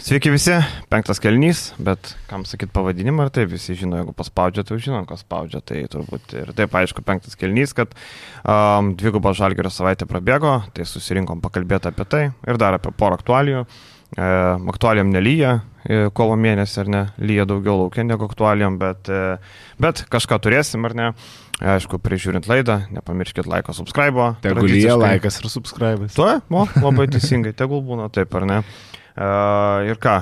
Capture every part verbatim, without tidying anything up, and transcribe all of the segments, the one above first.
Sveiki visi, penktas kėlinys, bet kam sakyt pavadinimą, ar taip visi žino, jeigu paspaudžia, tai žino, kas spaudžia, tai turbūt ir taip aišku penktas kėlinys, kad um, dvigubą Žalgirio savaitę prabėgo, tai susirinkom pakalbėti apie tai ir dar apie porą aktualijų. E, aktualijom nelyja, e, kovo mėnesį ar ne, lyja daugiau laukia negu aktualijom, bet, e, bet kažką turėsim ar ne. Aišku, prižiūrint laidą, nepamirškit laiko, subscribe. Tegul lyja laikas ir subscribe. Tuo, o, labai teisingai, tegul būna taip ar ne. Uh, ir ką,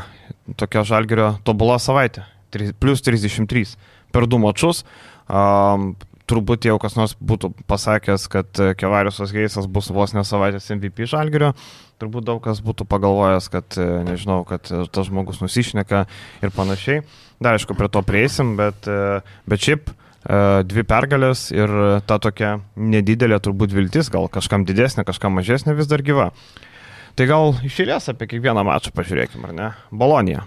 tokia Žalgirio tobula savaitė, plus trisdešimt trys per du mačus. Um, turbūt jau kas nors būtų pasakęs, kad Kevariusas Heisas bus vos ne savaitės M V P Žalgirio. Turbūt daug kas būtų pagalvojęs, kad, nežinau, kad tas žmogus nusišneka ir panašiai. Dar aišku, prie to prieisim, bet, bet šiaip dvi pergalės ir ta tokia nedidelė turbūt viltis, gal kažkam didesnė, kažkam mažesnė vis dar gyva. Tai gal iš eilės apie kiekvieną mačą pažiūrėkime, ar ne? Bolonija.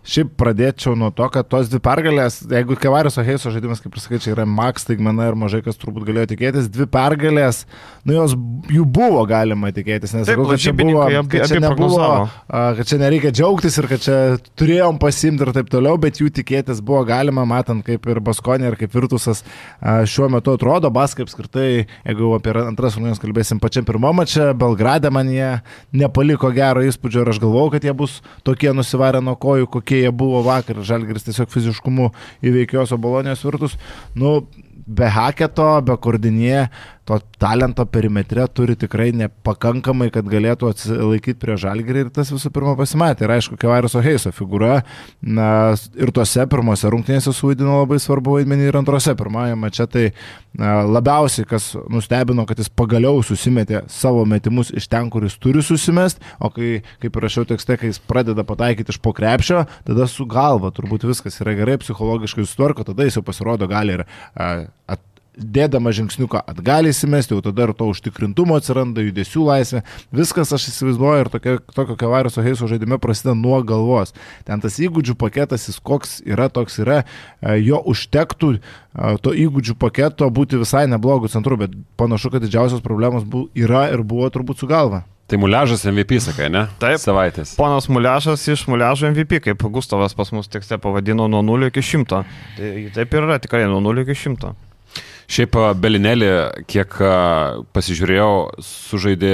Šiaip pradėčiau nuo to, kad tos dvi pergalės, jeigu Kevariuso Heiso žaidimas, kaip ir sakai, čia yra max staigmena ir mažai kas turbūt galėjo tikėtis, dvi pergalės, nu jos jų buvo galima tikėtis, nes sakau, kad čia buvo, kad čia nebuvo, kad čia nereikia džiaugtis ir kad čia turėjom pasimti ir taip toliau, bet jų tikėtis buvo galima, matant kaip ir Baskonė ir kaip Virtusas šiuo metu atrodo. Baskai apskritai, jeigu apie antras rungtynes kalbėsim pačiam pirmą mačą, Belgrade man jie nepaliko gero įspūdžio ir aš galvojau, kad jie bus tokie nusivarę nuo kojų, kokie jie buvo vakar. Žalgiris tiesiog fiziškumu įveikios Bolonijos Virtus. Nu, be Haketo, be Kordinė, to talento perimetre turi tikrai nepakankamai, kad galėtų atsilaikyti prie Žalgirį ir tas visų pirma pasimatė. Ir aišku, Kevariuso Heiso figūra na, ir tose pirmose rungtynėse suvaidino labai svarbu vaidmenį ir antrose. Pirmąją mače tai na, labiausiai, kas nustebino, kad jis pagaliau susimetė savo metimus iš ten, kur jis turi susimest, o kai, kaip rašiau tekste, kai jis pradeda pataikyti iš po krepšio, tada su galva turbūt viskas yra gerai, psichologiškai sutvarko, tada jis jau pasirodo gali ir at dėdama žingsniuką atgal įsimesti, jau tada ir to užtikrintumo atsiranda, judesių laisvė. Viskas, aš įsivaizduoju, ir tokio, tokio Kevariuso Heiso žaidime prasideda nuo galvos. Ten tas įgūdžių paketas, jis koks yra, toks yra, jo užtektų to įgūdžių paketo būti visai neblogų centrų, bet panašu, kad didžiausios problemos bu, yra ir buvo turbūt su galva. Tai Muliažas M V P, sakai, ne? Taip, savaitės. Ponas Muliažas iš Muliažo M V P, kaip Gustavas pas mus tekste pavadino, nuo nulio iki šimto. Tai taip ir yra, tikrai nuo nulio iki šimto. Šiaip Belinelį, kiek pasižiūrėjau, sužaidė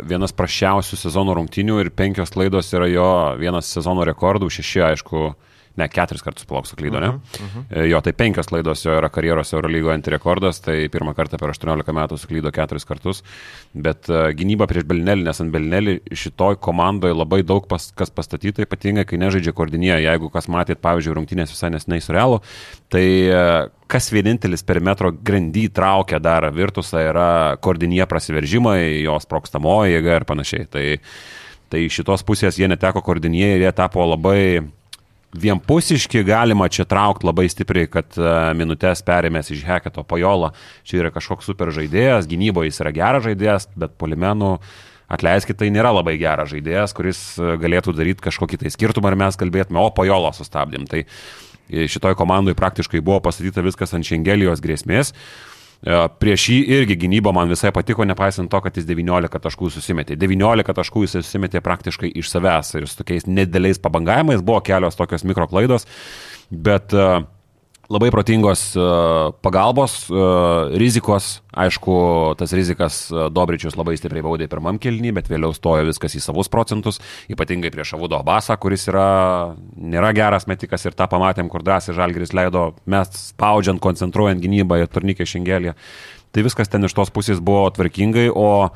vienas prasčiausių sezono rungtynių ir penkios klaidos yra jo vienas sezono rekordų, šeši, aišku, ne, keturis kartus palauk suklydo, ne? Uh-huh, uh-huh. Jo, tai penkios klaidos jo yra karjeros Eurolygoje antirekordas, tai pirmą kartą per aštuoniolika metų suklydo keturis kartus, bet uh, gynyba prieš Belinelį, nes ant Belinelį šitoj komandoje labai daug pas, kas pastatyta, ypatingai kai nežaidžia Kordinė. Jeigu kas matėt, pavyzdžiui, rungtynės visai neseniai su Realu, tai uh, kas vienintelis perimetro grandy traukia dar Virtusą yra Kordinė prasiveržimai, jos sprogstamoji jėga ir panašiai. Tai, tai šitos pusės jie neteko Kordinė ir jie tapo labai vienpusiški, galima čia traukti labai stipriai, kad minutės perėmės iš Haketo Pajolo. Čia yra kažkoks super žaidėjas, gynyboje jis yra geras žaidėjas, bet puolimenų, atleiskit, tai nėra labai geras žaidėjas, kuris galėtų daryti kažkokį tai skirtumą ir mes kalbėtume, o Pajolo sustabdėm. Tai šitoj komandai praktiškai buvo pastatyta viskas ant Šengelijos grėsmės. Prieš jį irgi gynyba man visai patiko, nepaisant to, kad jis devyniolika taškų susimetė. devyniolika taškų jis susimetė praktiškai iš savęs ir su tokiais nedideliais pabangavimais, buvo kelios tokios mikroklaidos, bet uh, labai protingos uh, pagalbos, uh, rizikos, aišku, tas rizikas uh, Dobričius labai stipriai baudė pirmam kėlinį, bet vėliau stojo viskas į savus procentus, ypatingai prieš Avudo Abasą, kuris yra, nėra geras metikas ir tą pamatėm, kur drąsiai Žalgiris leido, mes spaudžiant, koncentruojant gynybą ir turnikė Šengelį. Tai viskas ten iš tos pusės buvo tvarkingai, o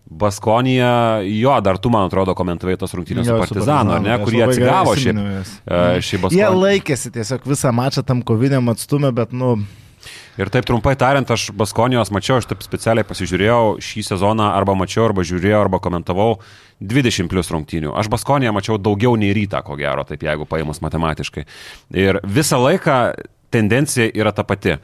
Baskonija, jo, dar tu, man atrodo, komentavai tos rungtynės su Partizanu, ar ne, kur jie atsigavo šį, šį Baskonį. Jie laikėsi tiesiog visą mačą tam koviniam atstumę, bet, nu... Ir taip trumpai tariant, aš Baskonijos mačiau, aš taip specialiai pasižiūrėjau šį sezoną, arba mačiau, arba žiūrėjau, arba komentavau dvidešimt plus rungtynių. Aš Baskoniją mačiau daugiau nei Rytą, ko gero, taip jeigu paėmus matematiškai. Ir visą laiką tendencija yra ta pati.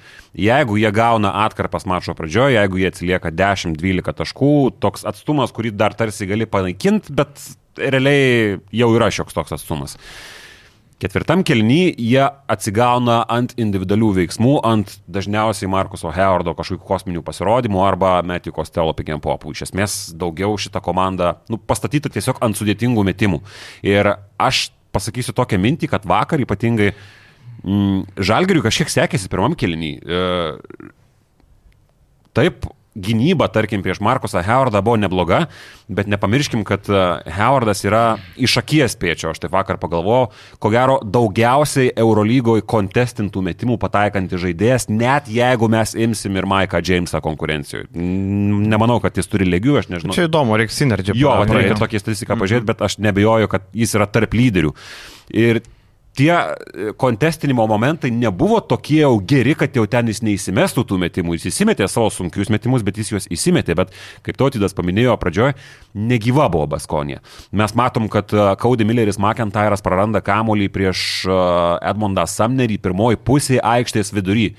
Jeigu jie gauna atkarpas mačo pradžioje, jeigu jie atsilieka dešimt dvylika taškų, toks atstumas, kurį dar tarsi gali panaikinti, bet realiai jau yra šioks toks atstumas. Ketvirtam kelny jie atsigauna ant individualių veiksmų, ant dažniausiai Markuso Howardo kažkokių kosminių pasirodymų arba Matthew Costello pick and popų. Iš esmės daugiau šitą komandą nu, pastatyta tiesiog ant sudėtingų metimų. Ir aš pasakysiu tokią mintį, kad vakar ypatingai mm, Žalgiriui kažkiek sekėsi pirmam kelny. E, taip, gynyba, tarkim, prieš Markusą Howardą buvo nebloga, bet nepamirškim, kad Howardas yra iš akies pėčio, aš taip vakar pagalvojau, ko gero daugiausiai Eurolygoje kontestintų metimų pataikantis žaidėjas, net jeigu mes imsim ir Maiką Jamesą konkurencijoje. Nemanau, kad jis turi lygių, aš nežinau. Čia įdomu, reikia sinergiją. Jo, reikia tokią statistiką pažiūrėti, bet aš nebejoju, kad jis yra tarp lyderių. Ir tie kontestinimo momentai nebuvo tokie jau geri, kad jau ten jis neįsimestų tų metimų. Jis įsimetė savo sunkius metimus, bet jis juos įsimetė. Bet, kaip Tautvydas paminėjo pradžioje, negyva buvo Baskonija. Mes matom, kad Cody Milleris McIntyras praranda kamuolį prieš Edmondą Sumnerį pirmoji pusė aikštės vidury.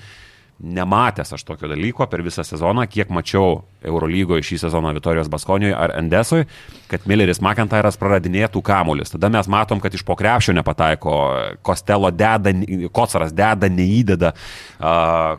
Nematęs aš tokio dalyko per visą sezoną, kiek mačiau Eurolygoje šį sezoną Vitorijos Baskonijoje ar Endesoje, kad Milleris McIntyras praradinėtų kamuolius. Tada mes matom, kad iš po krepšio nepataiko, Costello deda, Kocaras deda, neįdeda,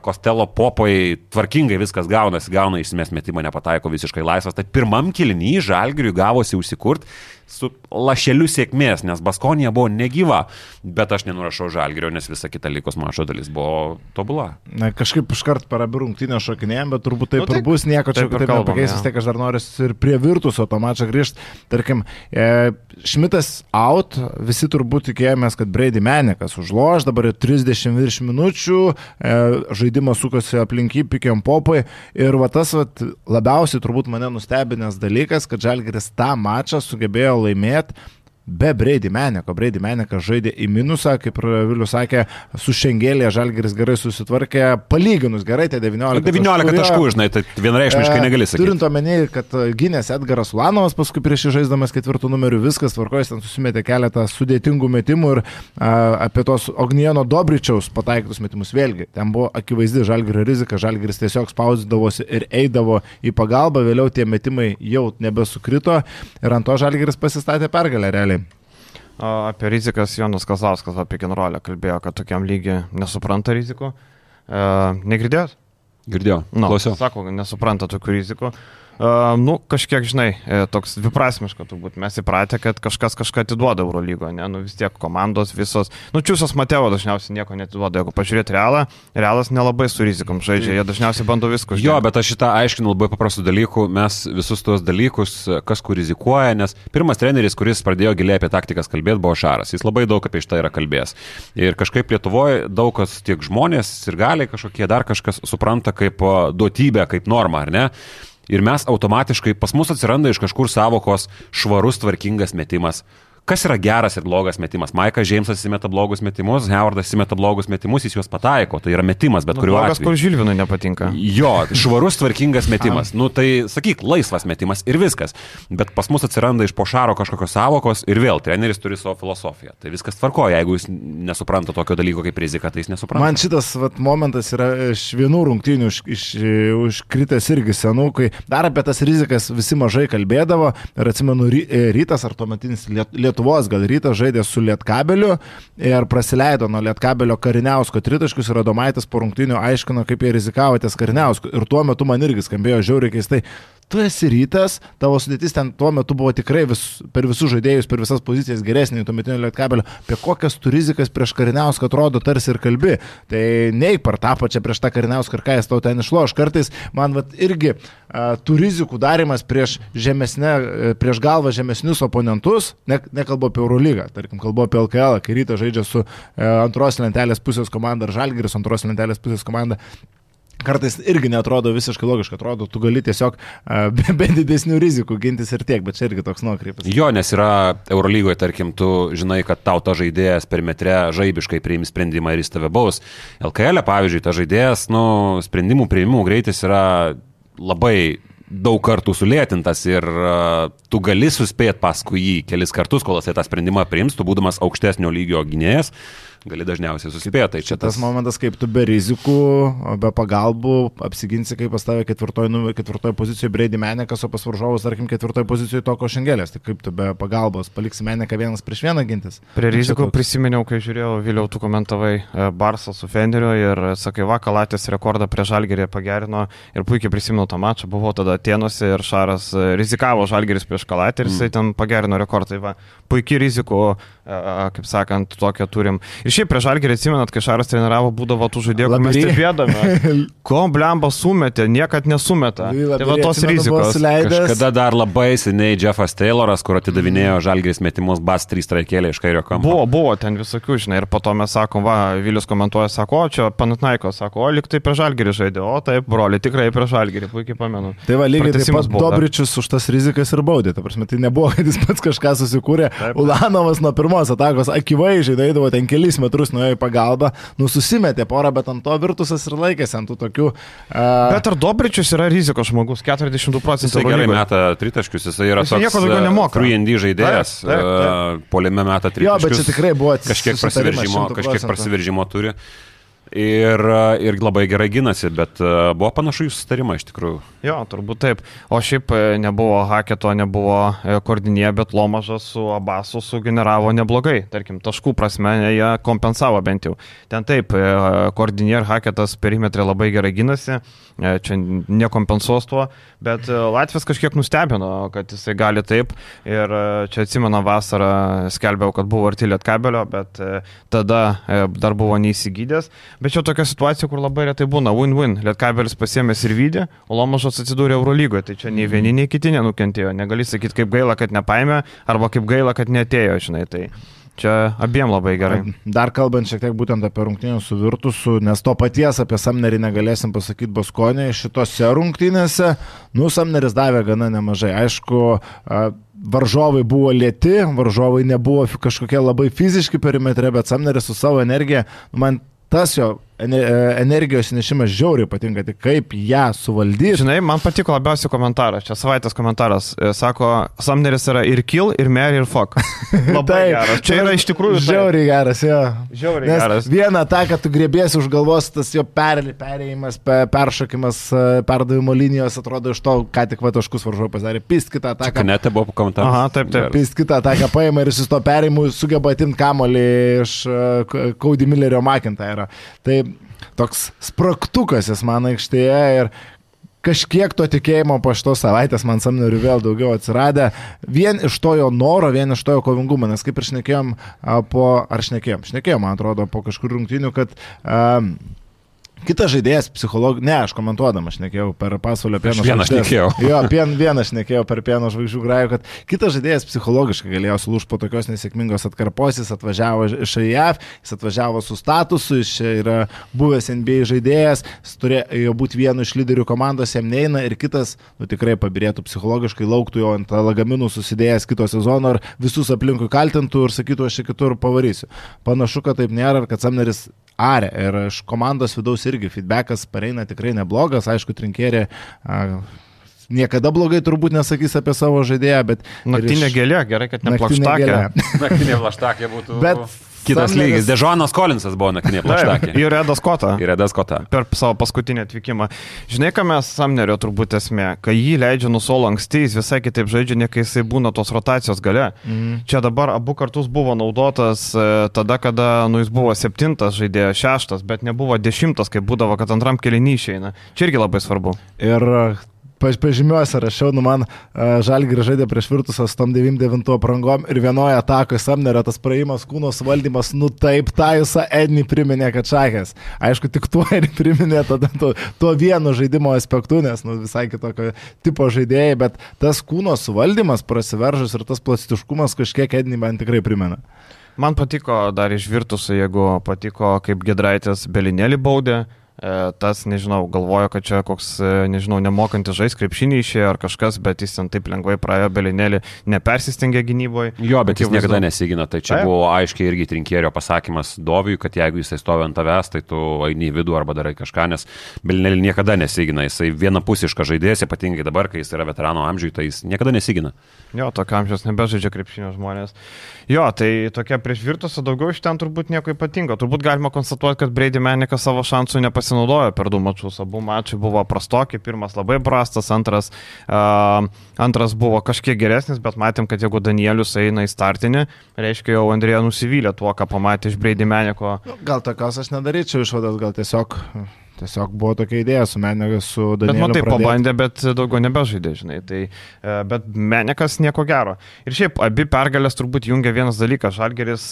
Costello popai tvarkingai viskas gaunasi, gauna išsimės metimą, nepataiko visiškai laisvas. Tai pirmam kėliny Žalgiriui gavosi užsikurt su lašeliu sėkmės, nes Baskonija buvo negyva, bet aš nenurašau Žalgirio, nes visa kita lygos mačo dalis buvo tobula. Na, kažkaip iškart per abi rungtynės šokinėjom, bet turbūt taip nu, ir bus, nieko čia taip nepakeis, vis tiek aš dar noriu ir prie Virtuso to mačą grįžti. Tarkim, e, Šmitas out, visi turbūt tikėjomės, kad Brady Manikas užloš, dabar trisdešimt virš minučių, e, žaidimas sukosi aplink jį, pick and popai ir va tas va, labiausiai turbūt mane nustebinęs dalykas, kad Žalgiris tą mačą sugebėjo laimėti be Brady Maniko. Brady Manikas žaidė į minusą, kaip Vilius sakė, su Šengelėje Žalgiris gerai susitvarkė, palyginus gerai, tai devyniolika, devyniolika taškų, žinai, tai vienareikšmiškai negali sakyti. Turint omeny, kad gynės Edgaras Ulanovas paskui prieš jį žaisdamas ketvirtų numerių viskas tvarkojas, ten susimetė keletą sudėtingų metimų ir a, apie tos Ognieno Dobričiaus pataikytus metimus vėlgi. Ten buvo akivaizdi Žalgirio rizika, Žalgiris tiesiog spausdavosi ir eidavo į pagalbą, vėliau tie metimai jau nebesukrito ir ant to Žalgiris pasistatė pergalę realiai. Apie rizikas Jonas Kazauskas apie Kenrolę kalbėjo, kad tokiam lygiai nesupranta rizikų. E, negirdėjot? Girdėjau, no, klausiau. Sako, nesupranta tokių rizikų. Uh, nu, kažkiek, žinai, toks dviprasmiška turbūt. Mes įpratę, kad kažkas kažką atiduoda Eurolygoje, ne? Nu vis tiek komandos visos. Nu, Čiūsas Mateo dažniausiai nieko netiduoda. Jeigu pažiūrėti Realą, Realas nelabai su rizikom žaidžia, jie dažniausiai bando viską. Jo, bet aš šitą aiškinu labai paprastų dalykų. Mes visus tuos dalykus, kas kur rizikuoja, nes pirmas treneris, kuris pradėjo giliai apie taktikas kalbėti, buvo Šaras. Jis labai daug apie šitą yra kalbėjęs. Ir kažkaip Lietuvoje daug kas, tiek žmonės ir galiai kažkokie dar kažkas supranta kaip duotybę, kaip normą, ar ne? Ir mes automatiškai, pas mus atsiranda iš kažkur savokos švarus, tvarkingas metimas. Kas yra geras ir blogas metimas? Maikas Džeimsas įsimeta blogus metimus, Howardas įsimeta blogus metimus, jis juos pataiko. Tai yra metimas, bet nu, kuriuo atveju. Blogas, kur Žilvinui nepatinka. Jo, švarus, tvarkingas metimas. Nu tai, sakyk, laisvas metimas ir viskas. Bet pas mus atsiranda iš po Šaro kažkokios savokos ir vėl treneris turi savo filosofiją. Tai viskas tvarkoja. Jeigu jis nesupranta tokio dalyko kaip rizika, tai jis nesupranta. Man šitas vat, momentas yra iš vienų rungtynių iš, iš, užkritęs irgi senų, kai dar apie tas rizikas visi mažai kalbėdavo. Ir atsimenu, Rytas ar tuometinis Lietuvos Lietuvos gal Rytas žaidė su Lietkabeliu ir praleido nuo Lietkabelio Kariniausko tritaškius ir Adomaitis po rungtynių aiškino, kaip jie rizikavo ties Kariniausku. Ir tuo metu man irgi skambėjo žiauriai keistai. Tu esi Rytas, tavo sudėtis ten tuo metu buvo tikrai vis, per visus žaidėjus, per visas pozicijas geresnė, tuometinio Lietkabelio. Apie kokias tu rizikas prieš Kariniauską atrodo tarsi ir kalbi. Tai neik par tą pačią prieš tą Kariniauską ir ką jis tau ten išloš. Kartais man vat, irgi a, tų rizikų darimas prieš, žemesnė, prieš galvą žemesnius oponentus, ne, nekalbu apie Eurolygą, tarkim, kalbu apie L K L, kai Rytas žaidžia su e, antros lentelės pusės komanda ar Žalgiris antros lentelės pusės komanda. Kartais irgi neatrodo visiškai logiškai, atrodo, tu gali tiesiog uh, be, be didesnių rizikų gintis ir tiek, bet čia irgi toks nuokrypas. Jo, nes yra Eurolygoje, tarkim, tu žinai, kad tau ta žaidėjas per metre žaibiškai priims sprendimą ir jis tave baus. L K L, pavyzdžiui, ta žaidėjas, nu, sprendimų priimimų greitis yra labai daug kartų sulėtintas ir uh, tu gali suspėti paskui jį kelis kartus, kol jisai tą sprendimą priims, tu būdamas aukštesnio lygio gynėjas, gali dažniausiai suspėti. Tai čia tas, tas momentas, kaip tu be rizikų, be pagalbų apsiginsi, kaip pas tave ketvirtoje ketvirtoj pozicijoje Brady Menekas, o pas varžovus, tarkim, ketvirtoje pozicijoje Toko Šengelės. Tai kaip tu be pagalbos paliksi Meneką vienas prieš vieną gintis? Prie rizikų prisiminiau, kai žiūrėjau, Viliau, tu komentavai Barsą su Fenderiu ir sakai, va, Kalatės rekordą prie Žalgirį pagerino ir puikiai prisimenu tą mačą. Buvau tada Atėnuose ir Šaras rizikavo Žalgiris prieš Kalatį ir jisai mm. ten pagerino rekordą. Tai va, puikiai rizikų, kaip sakant, tokią turim. Ir šiaip prieš Žalgirį atsimenat, kai Šaras treniravo, būdavo tų žaidėjų, kur mes stebėdami, ko blemba sumetė, niekad nesumeta. Tai va tos rizikos. Kažkada dar labai seniai Jeffas Tayloras, kur atidavinėjo Žalgiris metimus, bas trys traikėlė iš kairio kampo. Buvo, buvo ten visokių, žinai, ir po to mes sakom, va, Vilius komentuoja, sako, o čia Panatnaiko, sako, o lyg tai prieš Žalgirį žaidė, o taip, broli, tikrai prieš Žalgirį, puikiai pamenu. Tai va, lygiai taip pat Dobričius už tas rizikas ir baudė, ta prasme, tai nebuvo, kad jis pats kažką susikūrė. Taip. Ulanovas nuo pirmos atakos akivaizdžiai eidavo ten kelis metrus nuėjo į pagalbą, nu susimetė porą, bet ant to Virtusas ir laikėsi ant tų tokių. Uh... Bet ar Dobričius yra rizikos žmogus, keturiasdešimt du procentai. Jis gerai meta tritaškius, jis yra jis toks three and D žaidėjas, uh, poliame meta tritaškius. Jo, bet čia tikrai buvo kažkiek prasiveržimo, kažkiek prasiveržimo turi. Ir, ir labai gerai ginasi, bet buvo panašu į susitarimą iš tikrųjų. Jo, turbūt taip. O šiaip nebuvo Haketo, nebuvo Kordinė, bet Lomažas su Abasu sugeneravo neblogai. Tarkim, taškų prasme jie kompensavo bent jau. Ten taip, Kordinė ir Haketas perimetrė labai gerai ginasi, čia nekompensuos tuo, bet Latvijas kažkiek nustebino, kad jisai gali taip. Ir čia atsimenu vasarą skelbiau, kad buvo arti Lietkabelio, bet tada dar buvo neįsigydęs. Bet čia tokia situacija, kur labai retai būna win-win. Lietkabelis pasiėmęs ir vydė, o Lomažas atsidūrė Eurolygoje. Tai čia nei vieni, nei kiti nenukentėjo. Negali sakyti, kaip gaila, kad nepaėmė, arba kaip gaila, kad neatėjo, žinai. Tai čia abiem labai gerai. Dar kalbant šiek tiek būtent apie rungtynės su Virtusu, nes to paties apie Samnerį negalėsim pasakyti Baskonėje. Šitose rungtynėse, nu, Samneris davė gana nemažai. Aišku, varžovai buvo lėti, varžovai nebuvo kažkokie labai fiziški perimetre, bet Samneris su savo energija, man tas jo energijos nešimas žiauriai patinka, tik kaip ją suvaldyti. Žinai, man patiko labiausiai komentaras, čia savaitės komentaras, sako, Samneris yra ir kill, ir marry, ir fuck. Labai geras. Čia yra iš tikrųjų žiauriai geras, jo. Žiauriai Nes geras. Vieną tą, kad tu grėbėsi už galvos, tas jo per, perėjimas, peršokimas, perdavimo linijos, atrodo iš to, ką tik va taškus varžovai pasidarė. Pist kitą ataką. Kanete buvo komentaras. Aha, taip, taip. Pist kitą ataką paima ir jis to perėjimu sugeba atimti kamuolį iš Cody Millerio McIntyre. Tai toks spragtukas jis man aikštėje ir kažkiek to tikėjimo po šitos savaitės man Samneriui vėl daugiau atsiradė. Vien iš to jo noro, vien iš to jo kovingumo, nes kaip ir šnekėjom po, ar šnekėjom, šnekėjom, man atrodo, po kažkur rungtynių, kad um, kitas žaidėjas psicholog... Ne, aš komentuodama šnekėjau per Pasvalio pieno žvaigždės. Vieną šnekėjau. Jo, pien, vieną šnekėjau per pieno žvaigždžių grajų, kad kitas žaidėjas psichologiškai galėjo sulūžti po tokios nesėkmingos atkarpos, jis atvažiavo iš A I F, jis atvažiavo su statusu, jis yra buvęs N B A žaidėjas, jis turėjo būti vienu iš lyderių komandos, jam neina ir kitas, nu tikrai pabirėtų psichologiškai, lauktų jo ant lagaminų susidėjęs kito sezono ir visus aplinkui kaltintų ir sakytų, aš čia kitur pavarysiu. Panašu, kad taip nėra ir kad Samneris arė ir iš komandos vidaus irgi feedbackas pareina tikrai neblogas, aišku, Trinkierė a, niekada blogai turbūt nesakys apie savo žaidėją, bet... Naktinė iš... gėlė, gerai, kad ne plaštakė. Naktinė plaštakė būtų... Bet kitas Samneris... lygis. Dežonas Kolinsas buvo naktinė plaštakė. Ir Edas Kota. Ir Edas Kota. Per savo paskutinį atvykimą. Žinai, ką mes Samnerio turbūt esmė, kai jį leidžia nusolo anksti, jis visai kitaip žaidžia, ne kai jisai būna tos rotacijos gale. Mm. Čia dabar abu kartus buvo naudotas tada, kada nu, jis buvo septintas žaidėjas, šeštas, bet nebuvo dešimtas, kaip būdavo, kad antram kėlinį išeina. Čia irgi labai svarbu. Ir pažymiuosi, rašiau, nu man Žalgiris žaidė prieš Virtusą su tom devyniasdešimt devintų aprangom ir vienoje atakoje Samnerio tas praėjimas, kūno suvaldymas, nu taip, tą visą Ednį priminė, kad šakės. Aišku, tik tuo ir priminė tada tuo, tuo vienu žaidimo aspektu, nes nu, visai kitokio tipo žaidėjai, bet tas kūno suvaldymas prasiveržus ir tas plastiškumas kažkiek Ednį man tikrai primena. Man patiko dar iš Virtusų, jeigu patiko, kaip Giedraitis Belinėlį baudė, tas, nežinau, galvojo, kad čia koks, nežinau, nemokantis žais krepšinį išėjo ar kažkas, bet jis ten taip lengvai praėjo, Belinėlį nepersistengė gynyboje. Jo, bet jis niekada nesigina, tai čia buvo aiškiai irgi Trinkierio pasakymas Doviui, kad jeigu jisai stovi ant tavęs, tai tu eini į vidų arba darai kažką, nes Belinėlį niekada nesigina, jisai vienapusiškas žaidėjas, ypatingai dabar, kai jis yra veterano amžiui, tai jis niekada nesigina. Jo, tokio amžiaus nebežaidžia krepšinio žmonės. Jo, tai tokia prieš Virtusą daugiau iš ten turbūt nieko ypatingo. Turbūt galima konstatuoti, kad Brady Manikas savo šansų nepasinaudojo per du mačus. Abu mačai buvo prastoki, pirmas labai prastas, antras, uh, antras buvo kažkiek geresnis, bet matėm, kad jeigu Danielius eina į startinį, reiškia jau Andrėja nusivylė tuo, ką pamatė iš Brady Maniko. Gal tokios aš nedaryčiau išvadas, gal tiesiog... Tiesiog buvo tokia idėja su Menikas, su Danieliu. Bet matai, pradėti. Pabandė, bet daugiau nebežaidė, žinai. Tai, bet Menikas nieko gero. Ir šiaip, abi pergalės turbūt jungia vienas dalykas. Žalgiris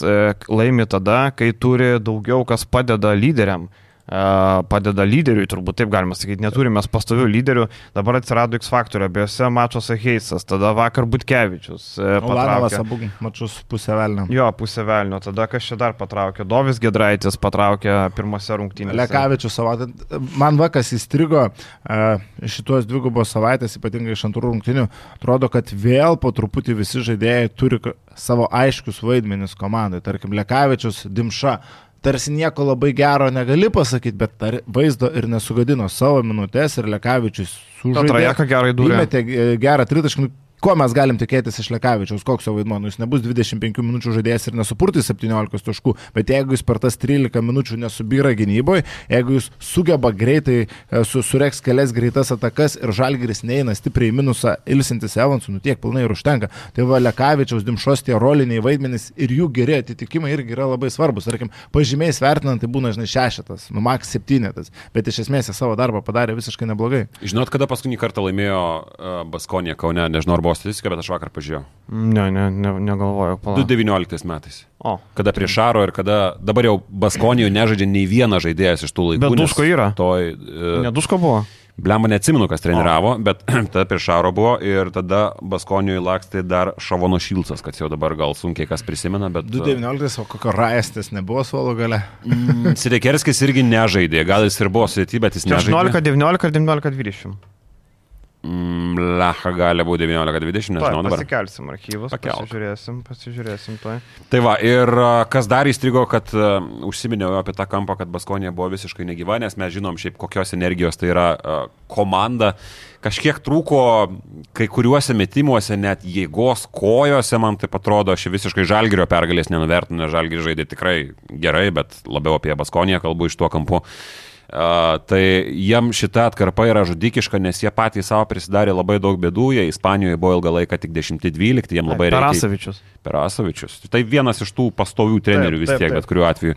laimi tada, kai turi daugiau, kas padeda lyderiam. Padeda lyderiui, turbūt taip galima sakyti, neturime pastovių lyderių, dabar atsirado X faktorių, abiejose mačuose Heisas, tada vakar Butkevičius Ulanovas abu mačus pusę velnio. Jo, pusę velnio, tada kas čia dar patraukė, Dovis Giedraitis patraukė pirmose rungtynėse. Lekavičius savaitę, man vakas įstrigo šituos dvigubos savaitės, ypatingai iš antrų rungtynių, atrodo, kad vėl po truputį visi žaidėjai turi savo aiškius vaidmenis komandai, tarkim Lekavičius, Dimša. Tarsi nieko labai gero negali pasakyti, bet vaizdo ir nesugadino savo minutės ir Lekavičius sužaidė. Trajeką gerai dūrė. Įmetė gerą tritaškį. Ko mes galim tikėtis iš Lekavičiaus, koks jo vaidmuo, nu, jis nebus dvidešimt penkių minučių žaidėjas ir nesupurtys septyniolikos taškų, bet jeigu jis per tas trylika minučių nesubyra gynyboje, jeigu jis sugeba greitai su, sureks kelias greitas atakas ir Žalgiris neina stipriai į minusą ilsintis Evansų, nu tiek pilnai ir užtenka. Tai va Lekavičiaus, Dimšos tie roliniai vaidmenys ir jų geri atitikimai irgi yra labai svarbus. Tarkim, pažymiais vertinant, tai būna, žinai, šešetas, nu maks septynetas, bet iš esmės jie savo darbą padarė visiškai neblogai. Žinot, kada paskutinį kartą laimėjo uh, Baskonija Kaune, nežinau, buvo statistika, bet aš vakar pažiūrėjau. Ne, ne, ne negalvoju. du devynioliktais metais. O. Kada prie Šaro ir kada dabar jau Baskonijoje nežaidžia nei vienas žaidėjas iš tų laikų. Bet Duško yra. Toj, uh, ne Duško buvo. Blemba neatsimenu, kas treniravo, o. Bet tada prie Šaro buvo ir tada Baskonijoje lakstė dar Šavono Šilcas, kad jau dabar gal sunkiai kas prisimena, bet... du devynioliktais, o kokio Raestis nebuvo suolo gale? Mm, Sidekerskis irgi nežaidė, gal jis ir buvo sudėti, bet jis nežaidė. aštuoniolika devyniolika ir devyniolika dvidešimt. Lecha gali būti devyniolika dvidešimt, nežinau dabar. Pasikelsim archyvus, Pakelk. pasižiūrėsim, pasižiūrėsim toj. Tai va, ir kas dar įstrigo, kad uh, užsiminiau apie tą kampą, kad Baskonija buvo visiškai negyva, nes mes žinom šiaip kokios energijos tai yra uh, komanda. Kažkiek trūko kai kuriuose metimuose, net jėgos kojose, man taip atrodo, aš visiškai Žalgirio pergalės nenuvertinu, nes Žalgiris žaidė tikrai gerai, bet labiau apie Baskoniją kalbu iš tuo kampu. Uh, tai jiem šita atkarpa yra žudikiška, nes jie patys savo prisidarė labai daug bėdų, jie Ispanijoje buvo ilgą laiką tik dešimt dvylikti, jiem labai reikia. Perasovičius. Perasovičius. Tai vienas iš tų pastovių trenerių vis taip, tiek, taip. bet kuriuo atveju.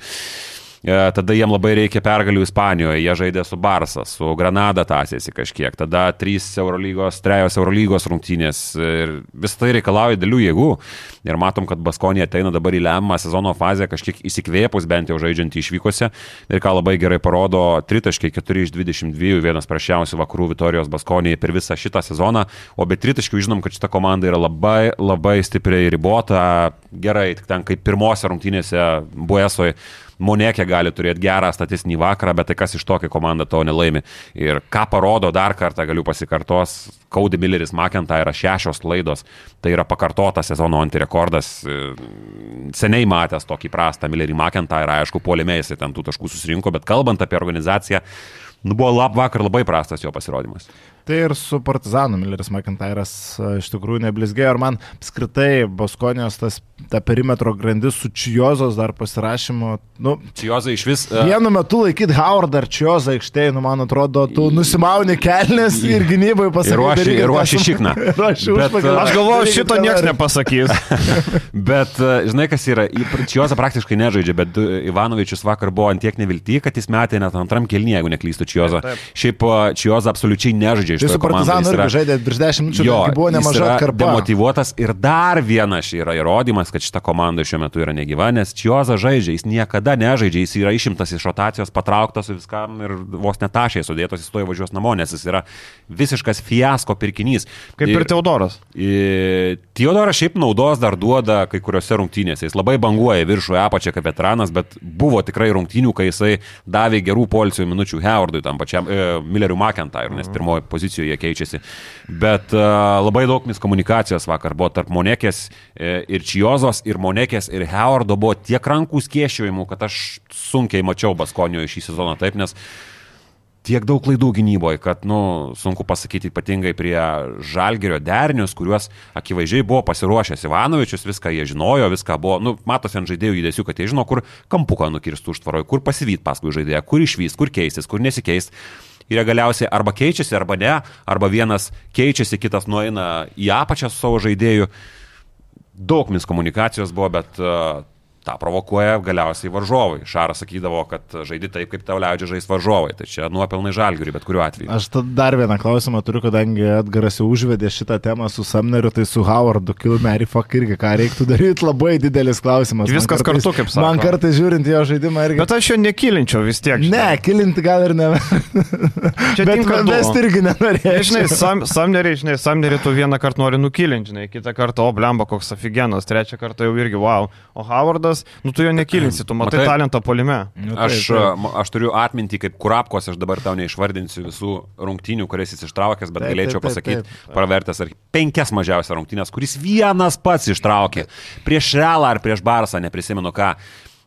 Tada jiem labai reikia pergalių Ispanijoje, jie žaidė su Barsa, su Granada tąsėsi kažkiek, tada trys Eurolygos, trejos Eurolygos rungtynės ir vis tai reikalauja dėlių jėgų ir matom, kad Baskonija ateina dabar į lemiamą sezono fazę kažkiek įsikvėpus bent jau žaidžiant išvykose ir ką labai gerai parodo tritaškiai keturi iš dvidešimt dviejų, vienas prasčiausių vakarų Vitorijos Baskonijai per visą šitą sezoną, o be tritaškių žinom, kad šita komanda yra labai, labai stipriai ribota, gerai, tik ten kaip pirmose rungtynėse Buesoje Monekė gali turėti gerą statistinį vakarą, bet tai kas iš to, kai komanda to nelaimi. Ir ką parodo dar kartą, galiu pasikartos, Cody Milleris McIntyre šešios klaidos, tai yra pakartotas sezono antirekordas, seniai matęs tokį prastą Millerį McIntyre, aišku, puolime jisai ten tų taškų susirinko, bet kalbant apie organizaciją, nu buvo lab vakar labai prastas jo pasirodymas. Tai ir su Partizanu Milleris McIntyre'as iš tikrųjų neblizgėjo ir man apskritai Baskonijos tas, ta perimetro grandis su Čiozos dar pasirašymu. Nu, Čiozą iš vis... Uh... Vienu metu laikyti Howard ar Čiozą aikštėje, nu man atrodo, tu nusimauni kelnes ir gynybai pasakai. Ir ruoši šikną. Bet, aš galvoju, šito niekas nepasakys. Bet žinai, kas yra, Čiozą praktiškai nežaidžia, bet Ivanovičius vakar buvo ant tiek nevilty, kad jis metė net antram kelnyje, jeigu neklystu Čiozą. Šiaip Čiozą absoliučiai nežaidžia žaidėjų. Tai su Partizanu irgi žaidė virš dešimt minučių, jo, buvo nemaža atkarpa. Demotyvuotas ir dar vienas yra įrodymas, kad šita komanda šiuo metu yra negyva, nes Čioza žaidžia, jis niekada nežaidžia, jis yra išimtas iš rotacijos, patrauktas viskam ir vos netašiai sudėtos, jis to įvažiuos namo, nes jis yra visiškas fiasko pirkinys. Kaip ir, ir Teodoras. Teodoras šiaip naudos dar duoda kai kuriuose rungtynėse. Jis labai banguoja viršų apačią kaip veteranas, bet buvo tikrai rungtynių, kai jisai davė gerų poilsio minučių Howardui, tam pačiam e, Milleriu McIntyre, nes pirmoje pozicijoje keičiasi. Bet e, labai daug miskomunikacijos vakar buvo tarp Monekės e, ir Čiozos, ir Monekės ir Howardo buvo tiek rankų skėsčiojimų, kad aš sunkiai mačiau Baskonio šį sezoną taip, nes tiek daug klaidų gynyboje, kad, nu, sunku pasakyti ypatingai prie Žalgirio derinius, kuriuos akivaizdžiai buvo pasiruošęs Ivanovičius, viską jie žinojo, viską buvo, nu, matosi ant žaidėjų judesių, kad jie žino, kur kampuką nukirstų užtvaroje, kur pasivyt paskui žaidėją, kur išvys, kur keistis, kur nesikeist. Ir jie galiausiai arba keičiasi, arba ne, arba vienas keičiasi, kitas nueina į apačią su savo žaidėju. Daug miskomunikacijos buvo, bet uh, tą provokuoja galiausiai varžovai. Šaras sakydavo, kad žaidi taip, kaip tau leidžia žaisti varžovai. Tai čia nuopelnai Žalgiriui, bet kuriuo atveju. Aš dar vieną klausimą turiu, kadangi Edgaras jau užvedė šitą temą su Sumneriu, tai su Howardu, Kilmerį, fuck irgi, ką reiktų daryti, labai didelis klausimas. Viskas kartais, kartu, kaip sako. Man kartais žiūrint jo žaidimą irgi. Bet aš jo nekilinčiau vis tiek. Žinai. Ne, kilinti gal ir ne. Čia bet mes irgi nenorėjome. Žinai, sam, Sumnerį, žinai, Sumnerį tu vieną kartą nori nukilinti, žinai, kitą kartą, o blemba, koks aфиgenas, trečią kartą jau irgi wow. O Howardas, nu tu jo nekilinti. Kilinsi, tu matai, matai talentą puolime. Nu, aš, taip. aš turiu atmintį kaip Kurapkos, aš dabar tau neišvardinsiu visų rungtynių, kurias jis ištraukęs, bet taip, galėčiau taip, taip, pasakyti, taip, taip. pravertęs ar penkias mažiausias rungtynės, kuris vienas pats ištraukė. Prieš Realą ar prieš Barsą, neprisimenu ką.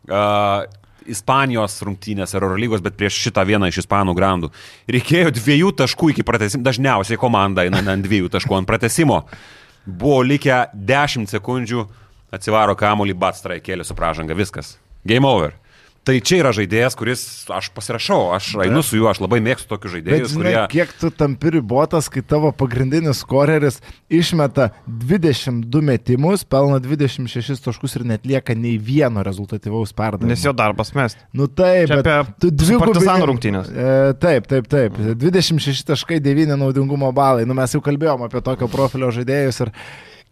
Uh, Ispanijos rungtynės ar Eurolygos, bet prieš šitą vieną iš ispanų grandų. Reikėjo dviejų taškų iki pratęsimo, dažniausiai komanda eina ant dviejų taškų ant pratęsimo. Buvo likę dešimt sekundžių. Atsivaro kamuolį, Batstrai kėlė su pražanga, viskas. Game over. Tai čia yra žaidėjas, kuris, aš pasirašau, aš einu su juo, aš labai mėgstu tokius žaidėjus, bet, žinai, kurie... kiek tu tampi ribotas, kai tavo pagrindinis skoreris išmeta dvidešimt du metimus, pelna dvidešimt šešis taškus ir netlieka nei vieno rezultatyvaus perdavimo. Nes jo darbas mest. Nu taip, čia bet tu dvigubai... Partizanų rungtynės. E, taip, taip, taip. dvidešimt šeši taškai devyni naudingumo balai. Nu mes jau kalbėjom apie tokio profilio žaidėjus ir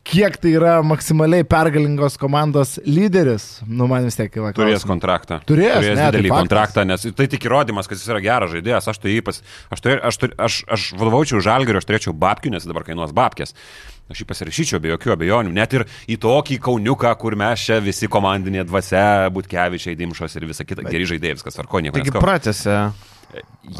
kiek tai yra maksimaliai pergalingos komandos lyderis, nu man vis tiek kyla klausimas. Turės kontraktą. Turės, Turės ne, didelį tai kontraktą, nes tai tik įrodymas, kad jis yra geras žaidėjas. Aš tai ypač, aš, turė, aš, turė, aš, aš vadovaučiau Žalgiriu, aš turėčiau babkių, nes dabar kainuos babkės. Aš jį pasirašyčiau be jokių abejonių, net ir į tokį Kauniuką, kur mes čia visi komandinė dvasia, Butkevičiai, Dimšos ir visa kita, geri žaidėjai, viskas tvarko, nieko neskau. Taigi pratęsė.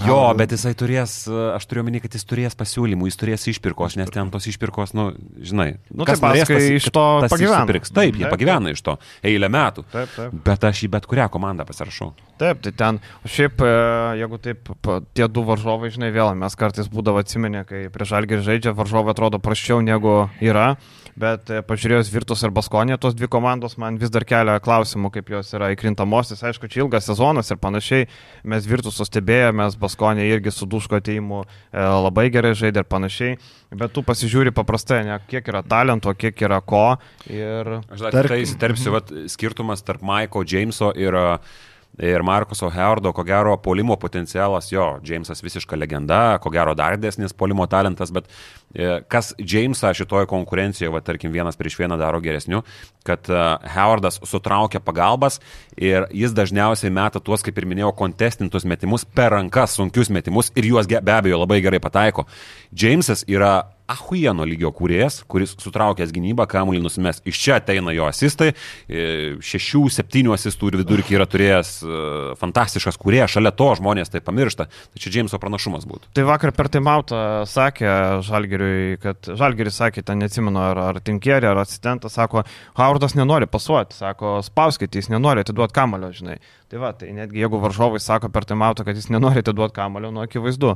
Jo, bet jisai turės, aš turiu omeny, kad jis turės pasiūlymų, jis turės išpirkos, nes ten tos išpirkos, nu, žinai, nu, kas norės, tas iš to pagyvena. Taip, jie pagyvena iš to eilę metų, taip, taip. Bet aš į bet kurią komandą pasirašau. Taip, tai ten, šiaip, jeigu taip, tie du varžovai, žinai, vėl mes kartais būdavo atsimenė, kai prieš Žalgirį žaidžia, varžovai atrodo prasčiau negu yra. Bet pažiūrėjus Virtus ir Baskonė, tos dvi komandos man vis dar kelia klausimų, kaip jos yra įkrintamosios. Aišku, čia ilgas sezonas ir panašiai. Mes Virtuso stebėjome, Baskonė irgi su Duško atėjimu labai gerai žaidė ir panašiai. Bet tu pasižiūri paprastai, ne, kiek yra talento, kiek yra ko. Ir... Aš dar tarp... tai įsiterpsiu, vat, skirtumas tarp Maiko Jameso ir... Ir Markuso Howardo, ko gero, puolimo potencialas, jo, Jamesas visiška legenda, ko gero dar didesnis puolimo talentas, bet e, kas Jamesą šitoje konkurencijoje, va, tarkim, vienas prieš vieną daro geresniu, kad e, Howardas sutraukia pagalbas ir jis dažniausiai meta tuos, kaip ir minėjau, kontestintus metimus per rankas, sunkius metimus ir juos be abejo labai gerai pataiko. Jamesas yra ahuieno lygio kūrėjas, kuris sutraukęs gynybą, kamuolį nusimes. Iš čia ateina jo asistai, šešių, septynių asistų ir vidurkį yra turėjęs fantastiškas kūrėjas, šalia to žmonės tai pamiršta. Tai čia Jameso pranašumas būtų. Tai vakar per timeoutą sakė Žalgiriui, kad Žalgiris sakė, ten neatsimenu, ar, ar Tinkerį, ar asistentas, sako, Howardas nenori pasuoti, sako, spauskite, jis nenori atiduoti kamuolio, žinai. Tai va, tai netgi jeigu varžovai sako per timeoutą, kad jis nenori atiduoti kamuolio, nu akivaizdu.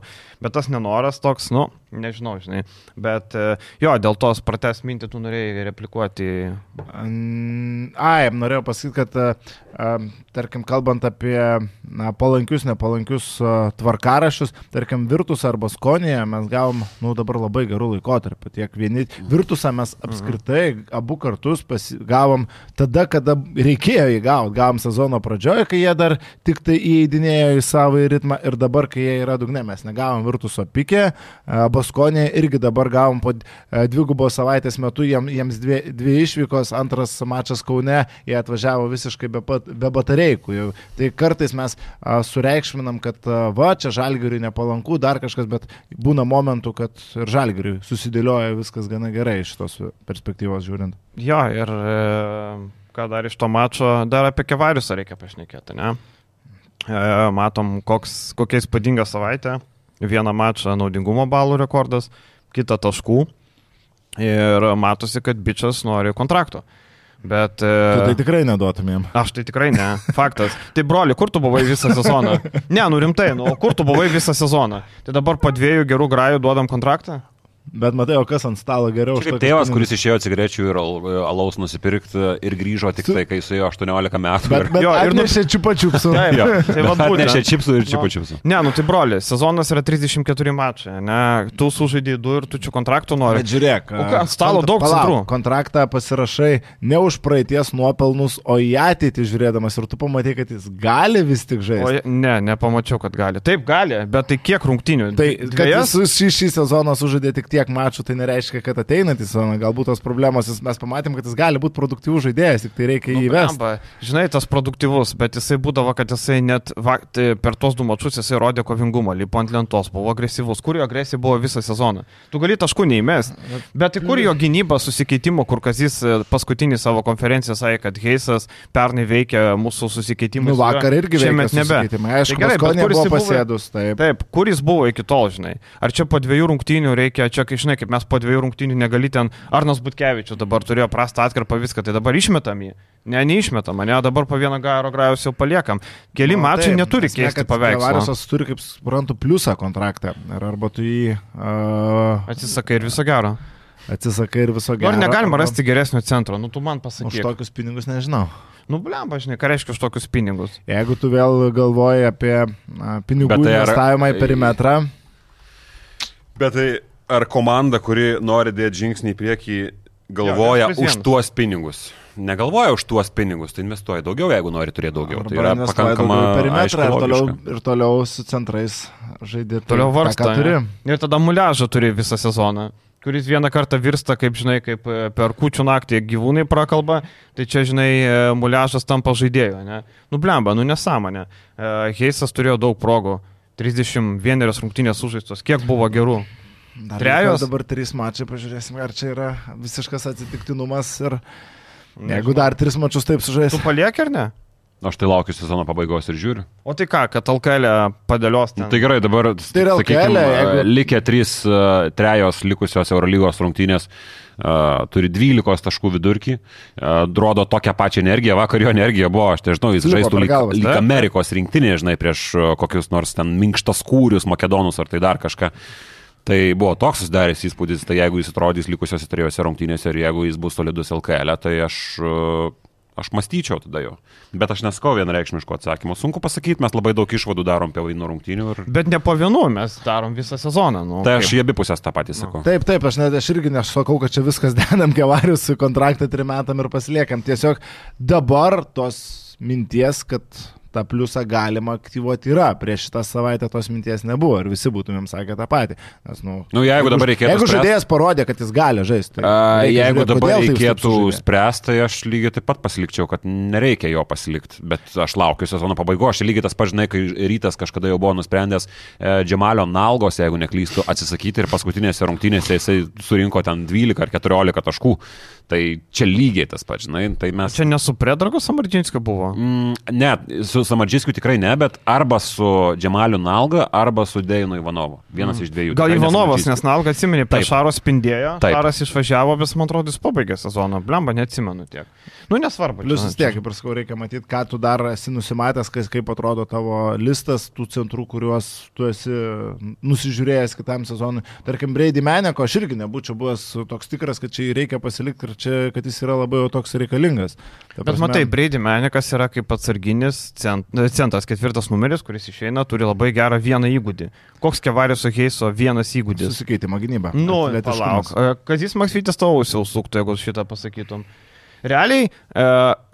Bet tas nenoras toks, nu, nežinau, žinai. Bet jo, dėl tos pratęs mintį tu norėjai replikuoti. Ai, norėjau pasakyti, kad tarkim, kalbant apie na, palankius, nepalankius tvarkaraščius, tarkim, Virtusą arba Baskonėje mes gavom, nu, dabar labai gerų laikotarpių. Tiek vieni Virtusą mes apskritai abu kartus pasi, gavom tada, kada reikėjo jį gauti. Gavom sezono pradžioje, kai jie dar tik tai įeidinėjo į savo ritmą ir dabar, kai jie yra dugne, mes negavom Virtuso Pikė. Baskonė irgi dabar gavom po dvigubos savaitės metu, jiems dvi, dvi išvykos, antras mačas Kaune, jie atvažiavo visiškai be, be batareikų. Tai kartais mes sureikšminam, kad va, čia Žalgiriui nepalanku, dar kažkas, bet būna momentų, kad ir Žalgiriui susidėlioja viskas gana gerai iš tos perspektyvos žiūrint. Jo, ir e, ką dar iš to mačo, dar apie Kevariusą reikia pašnekėti, ne? E, matom, koks, kokia įspūdinga savaitė. Vieną mačą naudingumo balų rekordas, kitą taškų. Ir matosi, kad bičas nori kontrakto. Bet... Tu tai tikrai neduotumėm. Aš tai tikrai ne. Faktas. Tai broli, kur tu buvai visą sezoną? Ne, nu rimtai, nu kur tu buvai visą sezoną? Tai dabar po dviejų gerų grajų duodam kontraktą? Bet matai, o kas ant stalo geriau? Kaip tėvas, kuris išėjo cigarečių ir alaus nusipirkti ir grįžo tik tai, kai su jo aštuoniolika metų. Bet, bet jo, ir atnešė nu... čiupačiupsų. Tai atnešė čipsų ir čiupačiupsų. Ne, nu tai broli, sezonas yra trisdešimt keturi mačai, ne? Tu sužaidai du ir tu čia kontraktų nori. Bet žiūrėk, o ant stalo daug palauk, centrų. Kontraktą pasirašai ne už praeities nuopelnus, o į ateitį žiūrėdamas ir tu pamatai, kad jis gali vis tik žaisti. O, ne, nepamačiau, kad gali. Taip gali, bet tai kiek rungtynių? Tai, kad jis šį, šį sezoną sužaidė tik tiek mačų, tai nereiškia, reiškia, kad ateinantį sezoną galbūt tos problemos, mes pamatėm, kad jis gali būti produktyvus žaidėjas, tik tai reikia nu, jį įvesti. Bamba, žinai, tas produktyvus, bet jisai būdavo, kad jisai net va, tai per tos du mačus jisai rodė kovingumą, lipo ant lentos, buvo agresyvus, kur jo agresija buvo visą sezoną. Tu gali taškų neįmest, bet tai kur jo gynyba susikeitimo, kur Kazys paskutinį savo konferenciją sakė, kad Heisas pernai veikia mūsų susikeitimą. Nu, vakar irgi veikia susikeitimą. Aišku, tai gerai, buvo pasėdus. Taip. taip, kur jis buvo iki tol, žinai. Ar čia po dviejų rungtynių reikia, čia, kai žinai, kaip mes po dviejų rungtynių negali ten, Arnas Butkevičius dabar turėjo prastą atkarpą viską, tai dabar išmetam jį. Ne, neišmetam, ne, dabar po vieną garo grajus jau paliekam. Keli no, mačai taip, neturi keisti paveikslą. Kevariusas turi, kaip suprantu, pliusą kontraktą. Ir arba tu jį... Uh, atsisakai ir viso gero. Atsisakai ir viso gero. Ar negalima rasti geresnio centro? Nu, tu man pasakyk. Už tokius pinigus nežinau. Nu, blemba, žinai, ką reiškia už tokius pinigus. Jeigu tu vėl galvoji apie na, pinigų tai investavimą ar... į perimetrą. Bet tai ar komanda, kuri nori dėti žingsnį į priekį, galvoja jo, už tuos pinigus? Negalvoja už tuos pinigus, tai investuoja daugiau, jeigu nori turėti daugiau. Arba tai yra pakankama perimetrą ir toliau, ir toliau su centrais žaidė. Toliau varsta. Ir tada muliažą turi visą sezoną, kuris vieną kartą virsta, kaip žinai, kaip per kūčių naktį gyvūnai prakalba, tai čia, žinai, muliažas tampa žaidėjo, ne? Nu, blemba, nu nesąmonė. Heisas turėjo daug progų, trisdešimt vienerios rungtynės sužaistos, kiek buvo gerų? Dar Trejos? Dabar trys mačai, pažiūrėsim, ar čia yra visiškas atsitiktinumas ir nežinau. Jeigu dar tris mačus taip sužais. Tu palieki ar ne? Aš tai laukiu sezono pabaigos ir žiūriu. O tai ką, kad L K L padėlios ten? Tai gerai, dabar, tai sakykime, jeigu... likę trys, uh, trejos likusios Eurolygos rungtynės, uh, turi dvylikos taškų vidurkį, uh, rodo tokią pačią energiją, vakar jo energija buvo, aš tai žinau, jis Lipo žaistų lyg, galvas, lyg Amerikos rinktinė, žinai, prieš uh, kokius nors ten minkštas kūrius, makedonus ar tai dar kažką. Tai buvo toks susidaręs įspūdis, tai jeigu jis atrodys likusiose trijose rungtynėse ir jeigu jis bus solidus L K L, tai aš, aš mąstyčiau tada jo. Bet aš neskau vienareikšmiško atsakymo. Sunku pasakyti, mes labai daug išvadų darom apie vaidinų rungtynių. Ir... Bet ne po vienų, mes darom visą sezoną. Nu, tai aš į abi pusės tą patį sakau. Taip, taip, aš, net, aš irgi nesakau, kad čia viskas dedam Kevarius kontraktą trim metam ir pasiliekam. Tiesiog dabar tos minties, kad... tą pliusą galima aktyvuoti yra. Prieš šitą savaitę tos minties nebuvo ir visi būtumėm sakę tą patį. Nes, nu, nu, jeigu dabar reikėtų jeigu spręst... žaidėjas parodė, kad jis gali žaisti. Tai A, jeigu žiūrėti, dabar tai reikėtų spręsti, tai aš lygiai taip pat pasilikčiau, kad nereikia jo pasilikti. Bet aš laukiu sezono pabaigos. Aš lygiai tas pats, žinai, kai Rytas kažkada jau buvo nusprendęs e, Džemalio Nalgos, jeigu neklystu, atsisakyti ir paskutinėse rungtynėse jisai surinko ten dvylika ar keturiolika taškų. Tai čia lygiai tas pats, žinai. Tai mes... Čia ne su Predrago Samardžinskiu buvo? Mm, ne, su Samardžinskiu tikrai ne, bet arba su Džemaliu Nalga, arba su Deinu Ivanovu. Vienas mm. iš dviejų. Gal Ivanovas, nes Nalga atsimeni, per Šaro spindėjo, Taip. Šaras išvažiavo, bet man atrodo, jis pabaigė sezoną. Blemba, neatsimenu tiek. Nu, nesvarbu. Plius vis tiek, kaip ir sakau, reikia matyti, ką tu dar esi nusimatęs, kaip atrodo tavo listas tų centrų, kuriuos tu esi nusižiūrėjęs kitam sezonui. Tarkim, Brady Meneko, aš irgi nebūčiau buvęs toks tikras, kad čia reikia pasilikti ir čia, kad jis yra labai jau toks reikalingas. Ta bet prasme... matai, Brady Menekas yra kaip atsarginis cent, centas, ketvirtas numeris, kuris išeina, turi labai gerą vieną įgūdį. Koks Kevariuso Heiso vienas įgūdis? Susikeitimo gynyba. Nu, palauk. Kazys Maksvytis tavo ausiau suktų, jeigu šitą pasakytum. realiai e,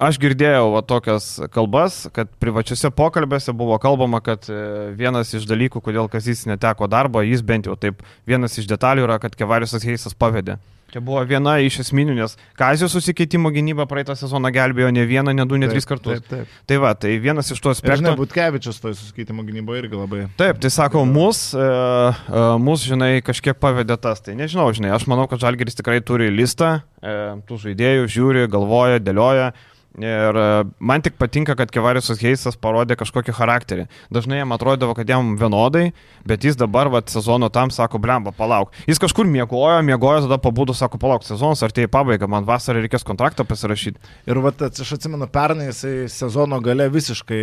aš girdėjau va, tokias kalbas, kad privačiuose pokalbėse buvo kalbama, kad e, vienas iš dalykų, kodėl Kazys neteko darbo, jis bent jau taip, vienas iš detalių yra, kad Kevariusas Heisas pavedė. Čia buvo viena iš esminių, nes Kazio susikeitimo gynyba praeitą sezoną gelbėjo ne vieną, ne du, ne taip, tris kartus. Taip, taip. Tai va, tai vienas iš tų aspektų. Žinai, Butkevičius toj susikeitimo gynybo irgi labai. Taip, tai sako, mus, e, e, mus, žinai, kažkiek pavedė tas. Tai nežinau, žinai, aš manau, kad Žalgiris tikrai turi listą e, tų žaidėjų, žiūri, galvoja, dėlioja. Ir man tik patinka, kad Kevariusas Heisas parodė kažkokį charakterį. Dažnai jam atrodavo, kad jam vienodai, bet jis dabar, va, sezono tam sako, blemba, palauk. Jis kažkur miegojo, miegojo, tada pabudo, sako, palauk, sezonas artėja į pabaigą, man vasarą reikės kontraktą pasirašyti. Ir va, aš atsimenu, pernai jisai sezono gale visiškai,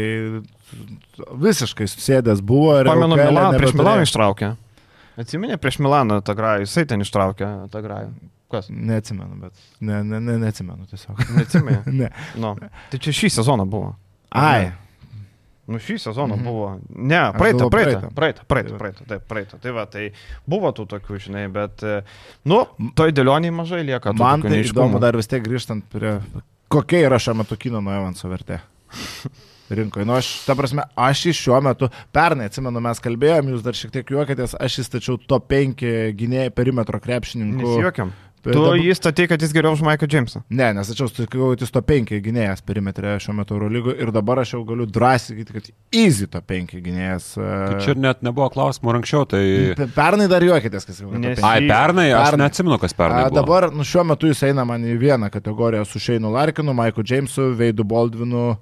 visiškai susėdęs buvo. Pamenu, Milaną, prieš Milaną ištraukė. Atsiminė prieš Milaną tą grajų, jisai ten ištraukė tą grajų. Kas? Neatsimenu, bet ne, ne, ne, neatsimenu tiesiog. Neatsimenu? Ne. No. Tai čia šį sezoną buvo. Ai. Nu šį sezoną mm-hmm. buvo. Ne, praeitą, praeitą, praeitą, praeitą, praeitą, taip, praeitą. Tai va, tai buvo tų tokių, žinai, bet, nu, toj dėlioniai mažai lieka. Man tai įdomu dar vis tiek grįžtant prie, kokia yra šiuo metu Keenano Evanso vertė rinkoje. Nu, aš, ta prasme, aš iš šiuo metu, pernai, atsimenu, mes kalbėjom, jūs dar šiek tiek juokėtės, aš įstačiau top penki gynėjai perimetro krepšininkų. Nesijuokiam. Tu dabar... jį statei, kad jis geriau už Mike'ą Jamesą? Ne, nes aš jau sakiau, kad jis to penki gynėjas perimetre šiuo metu Eurolygo ir dabar aš jau galiu drąsiai sakyti, kad easy to penki gynėjas. Tai čia net nebuvo klausimų anksčiau, tai... Pernai dar juokitės, kas jau. Nes... Ai, pernai, aš pernai. Neatsimenu, kas pernai buvo. Dabar, nu, šiuo metu jis eina man į vieną kategoriją su Shane'u Larkinu, Mike'u Jamesu, Veidu Baldwinu.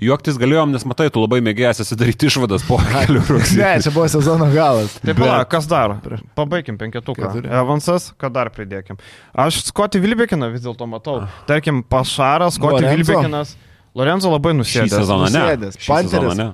Juoktis galėjom, nes matai, tu labai mėgėjęs esi daryti išvadas po kelių rugsėjų. Ne, čia buvo sezono galas. Taip, bet... pala, kas dar? Pabaikim penketuką. Keturi. Evansas, ką dar pridėkim. Aš Scotty Wilbekiną vis dėlto matau. Tarkim, Pašaras, Scotty Wilbekinas. Lorenzo labai nusėdęs. Šį sezoną ne. Nusėdęs. Panteris.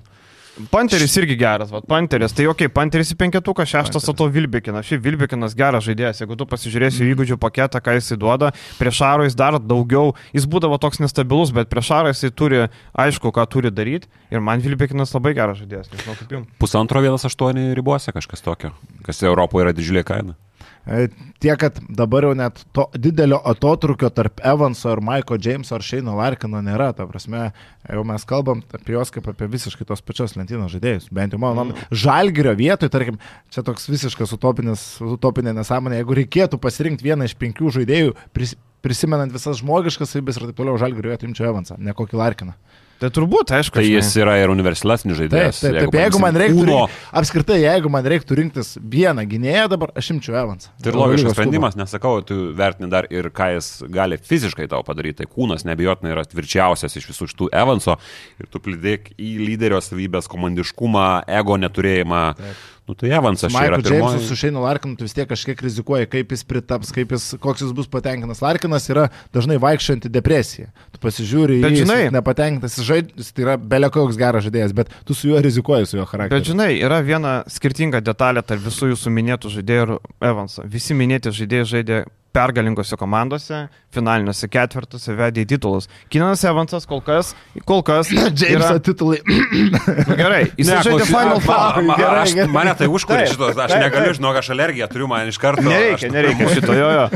Panteris irgi geras, va, Panteris, tai okei, okay, Panteris į penketuką, šeštas, o to Wilbekinas. Šiaip Wilbekinas geras žaidėjas, jeigu tu pasižiūrėsi mm. įgūdžių paketą, ką jisai duoda, prieš Šarą jis dar daugiau, jis būdavo toks nestabilus, bet prieš Šarą jisai turi, aišku, ką turi daryti ir man Wilbekinas labai geras žaidėjas, nežinau kaip jums. Pusantro vienas aštuoni ribose kažkas tokio, kas Europoje yra didžiulė kaina. Tiek, kad dabar jau net to didelio atotrukio tarp Evanso ir Mike'o Jameso ar Shane'o Larkino nėra. Ta prasme, jau mes kalbam apie juos kaip apie visiškai tos pačios lentynos žaidėjus. Bent jau mano nuomonė. Žalgirio vietoj, tarkim, čia toks visiškas utopinė nesąmonė. Jeigu reikėtų pasirinkti vieną iš penkių žaidėjų, pris, prisimenant visas žmogiškas savybės ir taip toliau, Žalgirio vietoj imčiau Evansą, ne kokį Larkiną. Tai turbūt, aišku. Tai jis yra ir universalesnis žaidėjas. Taip, taip, taip, jeigu man reiktų, uno... apskritai, jeigu man reiktų rinktis vieną gynėją, dabar aš imčiau Evansą. Tai ir logiškas sprendimas, nesakau, tu vertini dar ir ką jis gali fiziškai tau padaryti. Tai kūnas neabejotinai yra tvirčiausias iš visų šitų Evanso ir tu pridėk į lyderio savybės, komandiškumą, ego neturėjimą. Taip. Nu tai Evansas čia yra pirmoji. James'u su Shane'u Larkinu tu vis tiek kažkiek rizikuoji, kaip jis pritaps, kaip jis, koks jis bus patenkinas. Larkinas yra dažnai vaikščianti depresija. Tu pasižiūri, bet, jis žinai, nepatenkintas, jis žaidėjas, tai yra belekoks geras žaidėjas, bet tu su juo rizikuoji, su juo charakteriu. Bet žinai, yra viena skirtinga detalė tarp visų jūsų minėtų žaidėjų ir Evanso. Visi minėti žaidėjai žaidė pergalingose komandose, finaliniuose ketvirtuose, vedė į titulus. Keenanas Evansas kol kas, kol kas Jameso yra... titulai. Nu, gerai, jis ne, žaidė Final Four. Ma, ma, aš, mane tai užkūrė šitos, aš negaliu, žinok, aš alergiją turiu, man iš karto. Nereikia, aš... nereikia šito, jo, jo.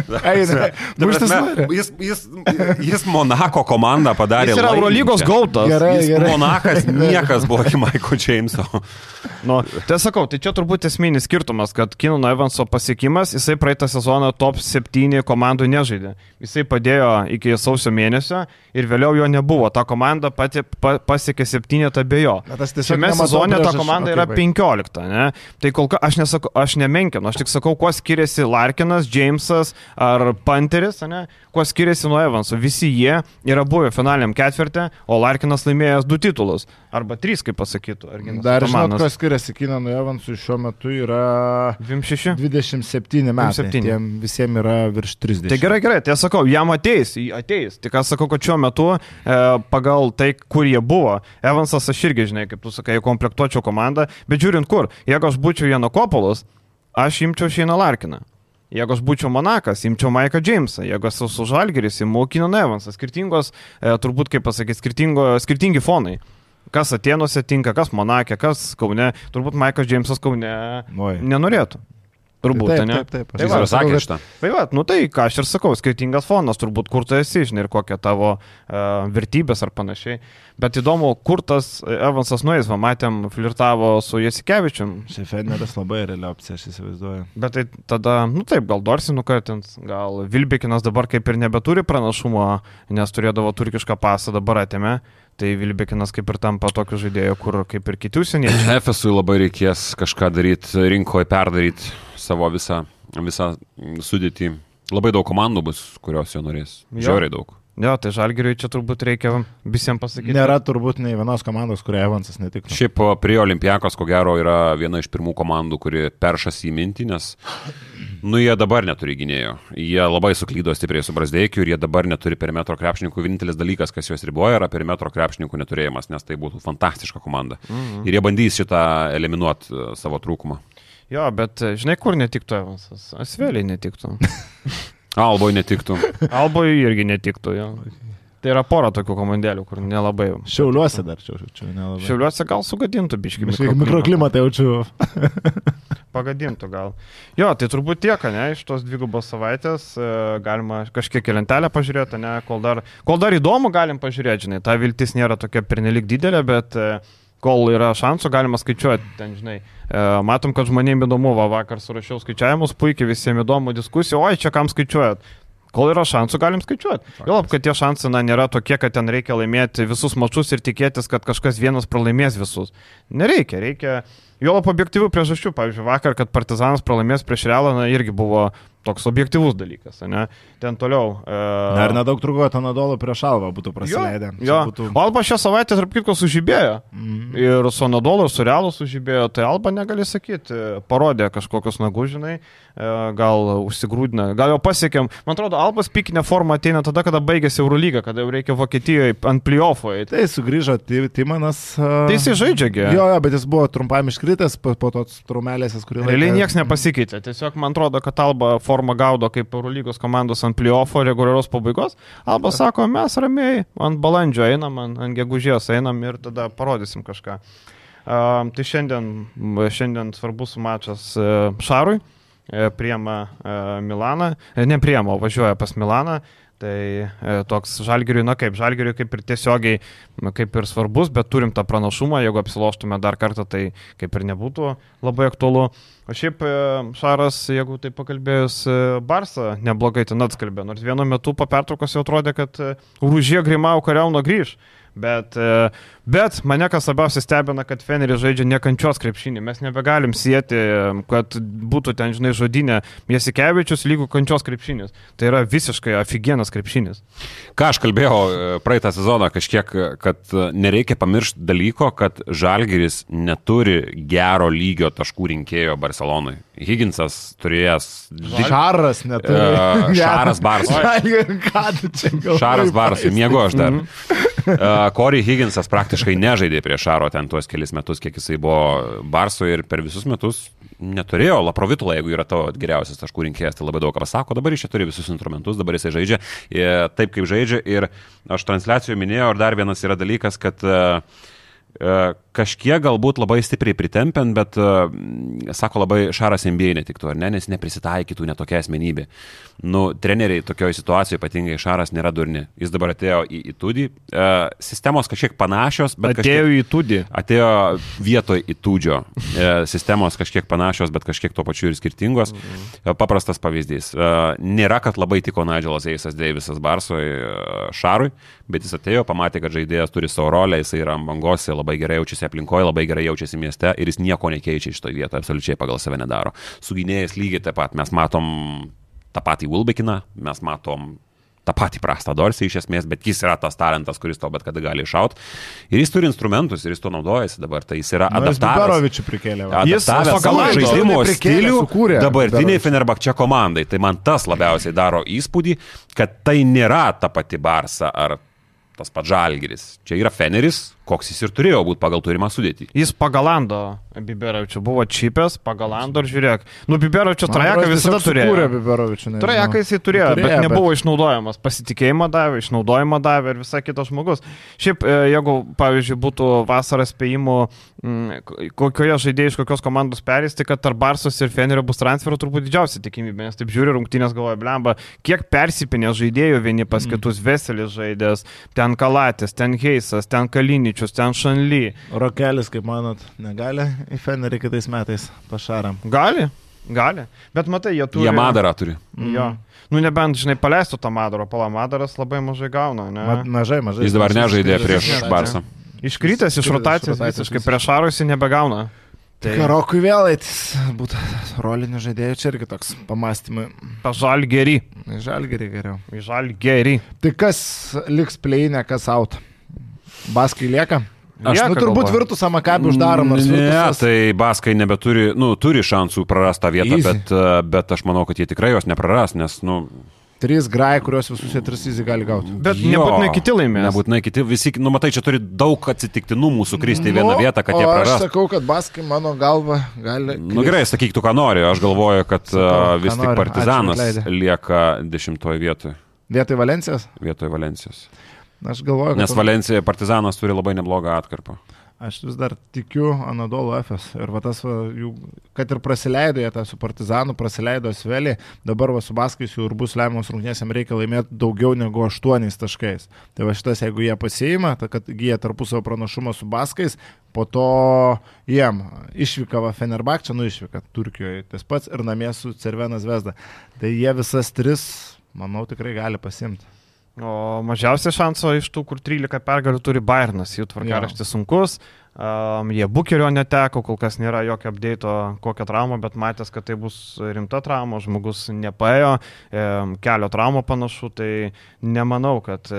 jis, jis, jis Monako komandą padarė. Jis yra Eurolygos gautas. Gerai, jis gerai. Monakas niekas buvo iki Mike'o Jameso. Nu, tai sakau, tai čia turbūt esminis skirtumas, kad Keenano Evanso pasiekimas, jisai praeitą sezoną top septyni komandų nežaidė. Jisai padėjo iki sausio mėnesio ir vėliau jo nebuvo. Ta komanda pati pa, pasiekė septynetą be jo. Šiame sezone ta komanda yra penkiolikta. Ne? Tai kol kas aš, nesakau, aš nemenkinu, aš tik sakau, kuo skiriasi Larkinas, Jamesas ar Panteris, ne? Kuo skiriasi nuo Evanso. Visi jie yra buvę finaliniam ketvirtė, o Larkinas laimėjęs du titulus. Arba trys, kaip pasakytų. Dar žinot, kuo skiriasi Keenanui Evansui šiuo metu yra dvidešimt septyni metai. Tiem visiems yra virš trisdešimt. Tai gerai, gerai, tai aš sakau, jam ateis, ateis. Tik aš sakau, kad šiuo metu e, pagal tai, kur jie buvo, Evansas aš irgi, žinai, kaip tu sakai, komplektuočiau komandą, bet žiūrint kur, jeigu aš būčiau Janokopolas, aš imčiau Shane'ą Larkiną. Jeigu aš būčiau Monakas, imčiau Mike'ą Jamesą. Jeigu esu su Žalgiris, imu Keenaną Evansą. Skirtingos, e, turbūt, kaip pasakyti, skirtingi fonai. Kas Atėnuose tinka, kas Monake, kas Kaune. Turbūt Mike'as Jamesas Kaune Oi. nenorėtų. Turbūt, taip, ne? taip, taip, Tai va, sakė šitą. Tai va, nu tai ką aš ir sakau, skirtingas fonas, turbūt kur tu esi, žinai, ir kokia tavo uh, vertybės ar panašiai. Bet įdomu, kur tas Evansas nueis, va, matėm, flirtavo su Jasikevičium. Šefeneris labai reali opcija, aš įsivaizduoju. Bet tai tada, nu taip, gal Dorsi nukatins, gal Vilbekinas dabar kaip ir nebeturi pranašumo, nes turėdavo turkišką pasą, dabar atėmė. Tai Vilbekinas kaip ir tampa tokiu žaidėju, kur kaip ir kiti užsieniečiai. Efesui labai reikės kažką daryti, rinkoje perdaryti savo visą, visą sudėtį. Labai daug komandų bus, kurios jo norės. Žiauriai daug. Jo, tai Žalgiriui čia turbūt reikia visiems pasakyti. Nėra turbūt nei vienos komandos, kurie Evansas netiktų. Šiaip prie Olimpiakos, ko gero, yra viena iš pirmų komandų, kuri peršas į mintį, nes nu, jie dabar neturi gynėjo. Jie labai suklydo stipriai su Brazdeikiu ir jie dabar neturi perimetro krepšininkų. Vienintelis dalykas, kas juos riboja, yra perimetro krepšininkų neturėjimas, nes tai būtų fantastiška komanda. Mhm. Ir jie bandys šitą eliminuoti savo trūkumą. Jo, bet žinai, kur netiktų Evansas? Asveliai netiktų. Alboj netiktų. Alboj irgi netiktų, jo. Tai yra pora tokių komandėlių, kur nelabai. Šiauliuose dar čia, čia nelabai. Šiauliuose gal sugadintų biškį mikroklimatą. Mikroklimatą jaučiu. Pagadintų gal. Jo, tai turbūt tiek, ne, iš tos dvigubos savaitės galima kažkiek į lentelę pažiūrėti, ne, kol dar, kol dar įdomu galim pažiūrėti, žinai, ta viltis nėra tokia pernelik didelė, bet kol yra šansų, galima skaičiuoti, ten, žinai, matom, kad žmonėms įdomu, va, vakar surašiau skaičiavimus, puikiai visiems įdomu diskusija, oi, čia kam skaičiuojat. Kol yra šansų, galim skaičiuoti. Galop, kad tie šansai na, nėra tokie, kad ten reikia laimėti visus mačus ir tikėtis, kad kažkas vienas pralaimės visus. Nereikia, reikia, juolap objektyvių priežasčių. Pavyzdžiui, vakar, kad Partizanas pralaimės prieš Realą, na, irgi buvo toks objektyvus dalykas, ne? Ten toliau. E... Na ir nedaug truko Anadolu prieš Alvą būtų praleidę. Jo, jo. Būtų... Alba šią savaitę, tarp kitko, sužibėjo. Mm. Ir su Anadolu, ir su Realu sužibėjo. Tai Alba negali sakyti, parodė kažkokius nagus, žinai, gal užsigrūdina, gal jau pasiekėm. Man atrodo, Albas pikinė forma ateina tada, kada baigėsi Eurolyga, kada jau reikia Vokietijoje ant play-offo. Tai sugrįžo Timanas. Uh... Tai jis žaidžiagi. Jo, jo, bet jis buvo trumpam iškritęs po, po tos traumelėsės, kurį laiką. Realiai niekas nepasikeitė. Tiesiog man atrodo, kad Alba formą gaudo kaip Eurolygos komandos ant play-offo reguliarios pabaigos. Alba sako, mes ramiai ant balandžio einam, ant, ant gegužės einam ir tada parodysim kažką. Uh, tai šiandien, šiandien svarbus mačas uh, Šarui, uh, priema uh, Milaną, uh, ne priema, važiuoja pas Milaną. Tai e, toks Žalgiriui, na kaip, Žalgiriui kaip ir tiesiogiai, kaip ir svarbus, bet turim tą pranašumą, jeigu apsiloštume dar kartą, tai kaip ir nebūtų labai aktualu. O šiaip e, Šaras, jeigu tai pakalbėjus, e, Barsą neblogai ten atskalbė, nors vienu metu po pertraukos jau atrodė, kad e, Rūžė Grimau Kariauno grįž. Bet, bet mane kas labiausiai stebina, kad Feneris žaidžia nekančios krepšinį. Mes nebegalim sieti, kad būtų ten, žinai, žodinė Jasikevičius lygų kančios krepšinis. Tai yra visiškai afigienas krepšinis. Ką aš kalbėjau praeitą sezoną kažkiek, kad nereikia pamiršti dalyko, kad Žalgiris neturi gero lygio taškų rinkėjo Barcelonai. Higginsas turėjęs... Šaras neturi. Uh, šaras Barsui. Šaras Barsui, miego aš dar. Uh, Corey Higginsas praktiškai nežaidė prie Šaro ten tuos kelis metus, kiek jisai buvo Barsoje ir per visus metus neturėjo Laprovitulą, jeigu yra tavo geriausias taškų rinkėjas, tai labai daug ką pasako. Dabar jis čia turi visus instrumentus, dabar jisai žaidžia ir taip, kaip žaidžia. Ir aš transliacijoje minėjau, ir dar vienas yra dalykas, kad uh, uh, kažkiek galbūt labai stipriai pritempiant, bet, uh, sako, labai Šaras N B A netiktų, ar ne, nes neprisitaikytų netokia asmenybė. Nu, treneriai tokioje situacijoje, ypatingai Šaras, nėra durni. Jis dabar atėjo į Įtūdį. Uh, sistemos kažkiek panašios, bet atėjo kažkiek... į Įtūdį. Atėjo vietoj Įtūdžio. Uh, sistemos kažkiek panašios, bet kažkiek tuo pačiu ir skirtingos. Mhm. Uh, paprastas pavyzdys. Uh, nėra, kad labai tiko Nigelas Eisas Deivisas Barsui uh, Šarui, bet jis atėjo, pamatė, kad žaidėjas turi savo rolę, jis yra ant bangos, labai gerai jaučiasi aplinkoje, labai gerai jaučiasi mieste ir jis nieko nekeičia iš to vietoje, absoliučiai pagal save nedaro. Su gynėjais lygiai taip pat. Mes matom tą patį Wilbekiną, mes matom tą patį prastą Dorsį iš esmės, bet jis yra tas talentas, kuris tau bet kada gali iššaut. Ir jis turi instrumentus ir jis to naudojasi dabar. Tai jis yra adaptavęs. Jis prikėlė. Adaptavęs savo žaidimo stilių dabartiniai Fenerbahče komandai. Tai man tas labiausiai daro įspūdį, kad tai nėra ta pati Barsa ar tas pats Žalgiris. Čia yra Feneris, koks jis ir turėjo būti pagal turimą sudėtį. Jis pagal Ando Biberovičių buvo čipęs, pagal Ando ir žiūrėk. Nu, Biberovičių trajeką visada turėjo. Trajeką jisai turėjo, turėjo, bet nebuvo bet... išnaudojamas. Pasitikėjimą davė, išnaudojimą davė ir visai kitas žmogus. Šiaip, jeigu, pavyzdžiui, būtų vasaros spėjimų, kokioje žaidėjai iš kokios komandos perės, tai kad tarp Barsos ir Fenerio bus transferų turbūt didžiausia tikimybė, nes taip žiūri rungtynės galvoja, blemba, kiek persipinė žaidėjų vieni pas kitus, Veselis žaidės, ten Kalatis, ten Heisas, ten Kaliničius, ten Šanly. Rokelis, kaip manot, negali į Fenerį kitais metais pašaram? Gali, gali, bet matai, jie turi... Jie Madarą turi. Jo. Nu, nebent, žinai, paleistų tą Madarą, pala Madaras labai mažai gauna, ne? Ma, mažai, mažai. Jis dabar nežaidė prieš Barsą. Iškrytęs iš rotacijos, visiškai prieš Arusi nebegauna. Tai Karokui vėl eitis, būtų rolinių žaidėjų, čia irgi toks pamastymai. Pažalgerį. Žalgerį geriau. Žalgerį. Tai kas liks pleinė, kas out? Baskai lieka? Aš, lieka, nu, turbūt galvoju. Virtusą Makabį uždarom. Ne, Virtusas... tai Baskai nebeturi, nu, turi šansų prarastą vietą, bet, bet aš manau, kad jie tikrai jos nepraras, nes, nu... Trys grai, kurios visus jie tris įzį gali gauti. Bet jo, nebūtinai kiti laimės. Nebūtinai kiti, visi, nu matai, čia turi daug atsitiktinumų sukristi į vieną nu, vietą, kad jie praras. Aš sakau, kad Baskai mano galva gali... Kristi. Nu gerai, sakyk tu, ką nori. Aš galvoju, kad sakau, vis tik nori. Partizanas lieka dešimtoje vietoje. Vietoj Valencijos? Vietoj Valencijos. Aš galvoju, kad... Nes Valencija Partizanas turi labai neblogą atkarpą. Aš vis dar tikiu Anadolu Efes. Ir va tas, va, jų, kad ir prasileido jie tą su Partizanu, prasileido Svelį, dabar va su Baskais jau ir bus lemiamos rungtynės, jam reikia laimėti daugiau negu aštuoniais taškais. Tai va šitas, jeigu jie pasiima, tai kad jie tarpusavo pranašumą su Baskais, po to jiem išvyka va Fenerbahčė, nu išvyka Turkijoje, tas pats ir namie su Cervena Zvezda. Tai jie visas tris, manau, tikrai gali pasimti. O mažiausia šanso iš tų, kur trylika pergalių turi Bayernas, jų tvarkaraštis sunkus, um, jie bukerio neteko, kol kas nėra jokio update'o kokią traumą, bet matęs, kad tai bus rimta trauma, žmogus nepaėjo, um, kelio trauma panašu, tai nemanau, kad,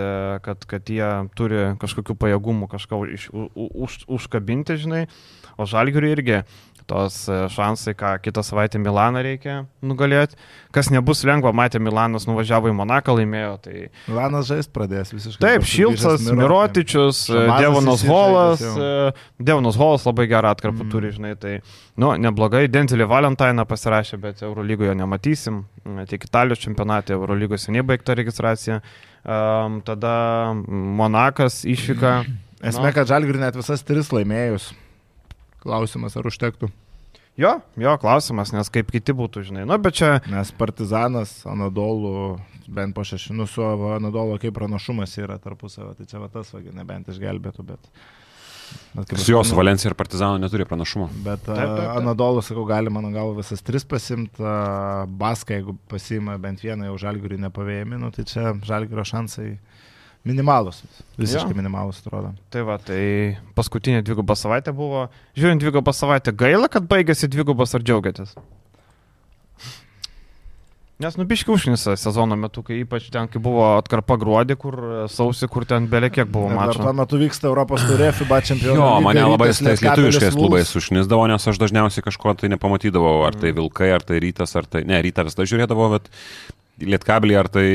kad, kad jie turi kažkokių pajėgumų kažką už, už, užkabinti, žinai, o Žalgiriui irgi tos šansai, ką kitą savaitę Milaną reikia nugalėti. Kas nebus lengva, matė, Milanas nuvažiavo į Monaką, laimėjo. Tai... Milanas žaist pradės visiškai. Taip, Šilcas, Mirotičius, Devonas Holas. Devonas Holas labai gerą atkarpą mm. turi, žinai. Tai, nu, neblogai. Denzelį Valentainą pasirašė, bet Eurolygoje nematysim. Tiek Italijos čempionate, Eurolygos seniai baigta registracija. Um, tada Monakas išvyka. Esmė, nu. Kad Žalgiriui net visas tris laimėjus. Klausimas, ar užtektų? Jo, jo, klausimas, nes kaip kiti būtų, žinai. Nu, bet čia... Nes Partizanas, Anadolu, bent po šešinų su Anadolu, kaip pranašumas yra tarpusavio, tai čia va tas, va, nebent išgelbėtų, bet... bet su jos Valencija ir Partizano neturi pranašumo. Bet taip, taip, taip. Anadolu, sakau, gali, mano galva, visas tris pasimti, Baską, jeigu pasima bent vieną, jau Žalgiriui nepavėjami, nu, tai čia Žalgirio šansai... Minimalus, visiškai ja. Minimalus atrodo. Tai va, tai paskutinė dvigubą savaitę buvo. Žiūrint dvigubą savaitę, gaila, kad baigėsi dvigubas, ar džiaugiatės? Nes nubiški užnisa sezono metu, kai ypač ten, kai buvo atkarpa gruodį, kur sausi, kur ten belė kiek buvo mačo. Tuo metu vyksta Europos taurė, FIBA čempionų. Jo, mane labai tais lietuviškais klubais užnisdavo, nes aš dažniausiai kažko tai nepamatydavau, ar tai Vilkai, ar tai Rytas, ar tai... Ne, Rytas tai žiūrėdavo, bet... Lietkablį, ar tai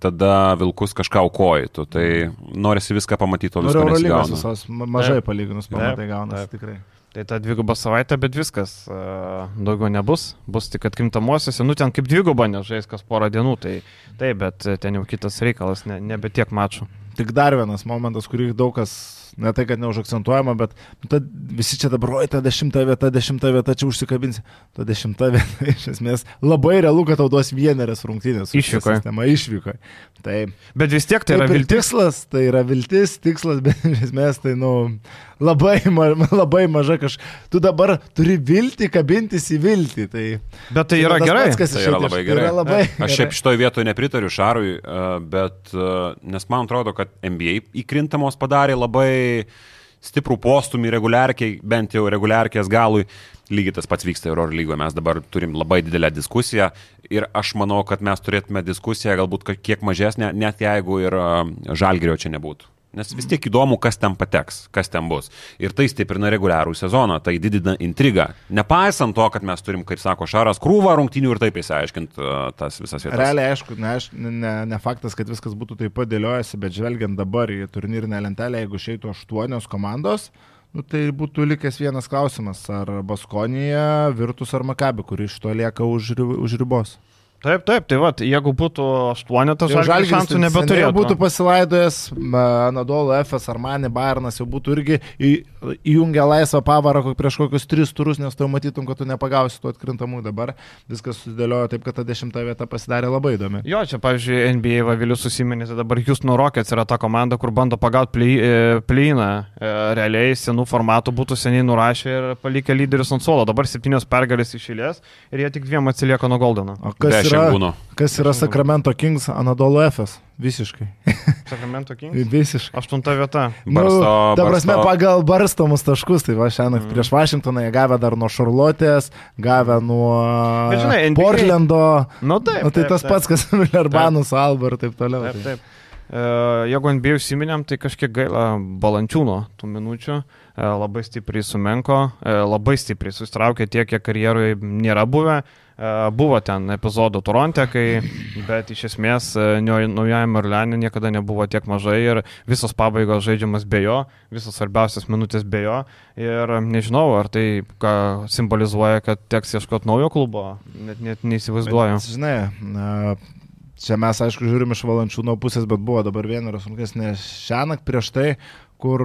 tada Vilkus kažką aukojtų, tai norisi viską pamatyti, o visko nesigauna. Visos, mažai palyginus pamatai gaunasi tikrai. Tai ta dviguba savaitė, bet viskas, daugiau nebus, bus tik atkrintamosiose, nu ten kaip dviguba nežais kas porą dienų, tai taip, bet ten jau kitas reikalas, ne, nebe tiek mačų. Tik dar vienas momentas, kurį daug kas, ne tai, kad neužakcentuojama, bet ta, visi čia dabar, oi, ta dešimta vieta, dešimta vieta, čia užsikabinsi. Ta dešimta vieta, iš esmės, labai realu, kad tau duos vienerias rungtynės. Išvyko. Išvyko. Tai, bet vis tiek tai yra viltis. Tikslas, tai yra viltis, tikslas, bet iš esmės tai, nu, labai, ma, labai maža kažkas. Tu dabar turi viltį, kabintis į viltį. Tai, bet tai yra gerai. Pats, tai yra labai gerai. Tai yra labai Aš šiaip šitoj vietoje nepritariu Šarui, bet, nes man atrodo, kad N B A įkrintamos padarė labai stiprų postumį reguliarkiai, bent jau reguliarkės galui. Lygiai tas pats vyksta Eurolygoje, mes dabar turim labai didelę diskusiją ir aš manau, kad mes turėtume diskusiją galbūt kiek mažesnę, net jeigu ir Žalgirio čia nebūtų. Nes vis tiek įdomu, kas ten pateks, kas ten bus. Ir tai stiprina reguliarų sezoną, tai didina intrigą. Nepaisant to, kad mes turim, kaip sako Šaras, krūvą rungtynių ir taip įsiaiškint uh, tas visas vietas. Realiai, aišku, ne, ne, ne faktas, kad viskas būtų taip pat dėliojasi, bet žvelgiant dabar į turnyrinę lentelę, jeigu išeitų aštuonios komandos, nu, tai būtų likęs vienas klausimas, ar Baskonija, Virtus ar Maccabi, kuri iš to lieka už, už ribos. Taip, taip, tai va, jeigu būtų aštuonetas, Žalgiris šansų nebeturėtų. Būtų pasilaidojęs Anadolu, Efes, Armani, Bayernas jau būtų irgi į, įjungę laisvą pavarą prieš kokius tris turus, nes tu matytum, kad tu nepagausi tų atkrintamų. Dabar viskas susidėliojo taip, kad ta dešimta vieta pasidarė labai įdomi. Jo, čia, pavyzdžiui, N B A Vavilius susiminė, tai dabar Houston Rockets yra ta komanda, kur bando pagauti plyną. Realiai senų formatų būtų seniai nurašę ir palikę lyderius ant suolo. Dabar septynios pergalės iš eilės ir jie tik dviem atsilieka nuo Goldeno. Yra, kas yra Sacramento Kings, Anadolu Efes? Visiškai. Sacramento Kings? Visiškai. Aštunta vieta. Barsto, nu, ta prasme, barsto. pagal barstomus taškus, tai va šiandien mm. prieš Vašingtoną jie gavę dar nuo Charlotės, gavę nuo Bet, žinai, N B A... Portlando. Nu, taip, nu, tai taip, tas taip. pats, kas Millerbanų su Alba ir taip toliau. Taip, taip. Uh, jeigu N B A užsiminėm, tai kažkiek gaila Balančiūno tų minučių, uh, labai stipriai sumenko, uh, labai stipriai susitraukė tiek, kiek karjeroje nėra buvę. Uh, buvo ten epizodų Toronte, kai, bet iš esmės uh, naujajame Orleane niekada nebuvo tiek mažai ir visos pabaigos žaidžiamas be jo, visos svarbiausias minutės be jo ir nežinau, ar tai ką simbolizuoja, kad teks ieškoti naujo klubo, net, net neįsivaizduoju. Bet, žinai, uh... Čia mes, aišku, žiūrim iš Valančiūno pusės, bet buvo dabar vieneros rungtynės ne šiąnakt prieš tai, kur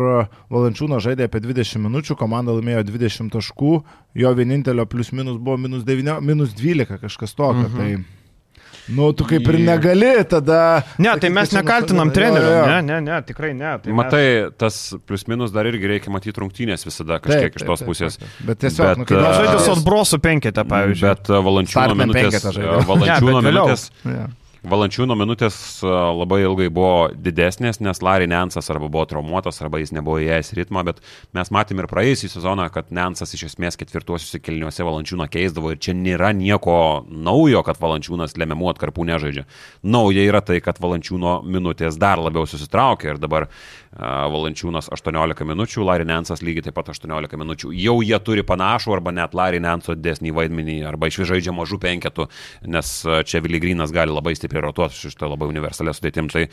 Valančiūno žaidė apie dvidešimt minučių, komanda laimėjo dvidešimt taškų, jo vienintelio plius minus buvo minus devyni, minus dvylika, kažkas tokio. Mhm. Tai, nu, tu kaip ir negali tada... Ne, tai mes nekaltinam trenerių, ne, ne, ne, tikrai ne. Tai Matai, mes... tas plius minus dar irgi reikia matyti rungtynės visada kažkiek taip, iš tos taip, pusės. Taip, taip. Bet tiesiog, bet, nu, kai uh, žaidė su atbrosų penketę, pavyzdžiui. Bet Valančiūno minutės... Valančiūno ne, minutės... Ja. Valančiūno minutės labai ilgai buvo didesnės, nes Larry Nansas arba buvo traumuotas, arba jis nebuvo įėjęs ritmą, bet mes matėm ir praėjusį sezoną, kad Nansas iš esmės ketvirtuosiuose kėliniuose Valančiūną keisdavo ir čia nėra nieko naujo, kad Valančiūnas lemiamų atkarpų nežaidžia. Nauja yra tai, kad Valančiūno minutės dar labiau susitraukia ir dabar uh, Valančiūnas aštuoniolika minučių, Larry Nansas lygiai taip pat aštuoniolika minučių. Jau jie turi panašų arba net Larry Nanso didesnį vaidmenį arba iš vis žaidžia mažų penketų, nes čia Willy Greenas gali labai stipriai rotuoti šitą labai universalę sudėtim. Tai,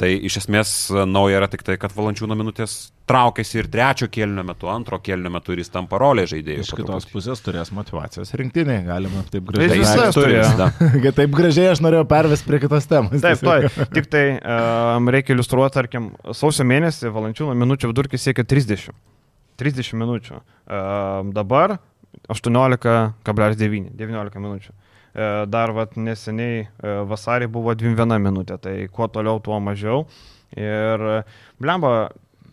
tai iš esmės nauja yra tik tai, kad Valančiūno minutės traukiasi ir trečio kėlinio metu, antro kėlinio metu ir jis tampa rolė žaidėjų. Iš kitos pusės turės motyvacijos rinktinė, galima taip Tai gražiai. visas turėjo. Taip gražiai aš norėjau pervesti prie kitos temos. Taip, tai, tik tai um, reikia iliustruoti, tarkim, sausio mėnesį Valančiūno minučių vidurkis siekia trisdešimt. trisdešimt minučių. Um, dabar aštuoniolika kablelis devyni, devyniolika minučių. Dar vat, neseniai vasarį buvo dvidešimt viena minutė, tai kuo toliau, tuo mažiau. Ir blemba,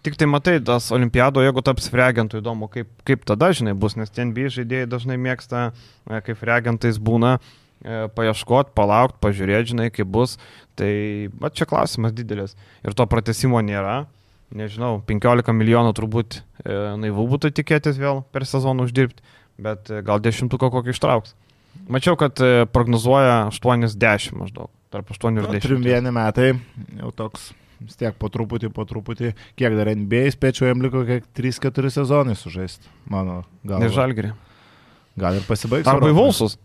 tik tai matai, tas olimpiado, jeigu taps reagentų, įdomu, kaip, kaip tada, žinai, bus, nes N B A žaidėjai dažnai mėgsta, kaip reagentais būna, paieškoti, palaukti, pažiūrėti, žinai, kaip bus. Tai va, čia klausimas didelis. Ir to pratęsimo nėra. Nežinau, penkiolika milijonų turbūt e, naivu būtų tikėtis vėl per sezoną uždirbti, bet e, gal dešimtuką kokį ištrauks. Mačiau, kad prognozuoja aštuoniasdešimt maždaug, tarp aštuonių ir dešimt. Trim vieni metai, jau toks, vis tiek po truputį, po truputį, kiek dar N B A, spėčiau, jam liko kiek trys keturi sezonai sužaisti, mano galva. Ne Žalgirį. Gal ir pasibaigs. Arba į Vulsus.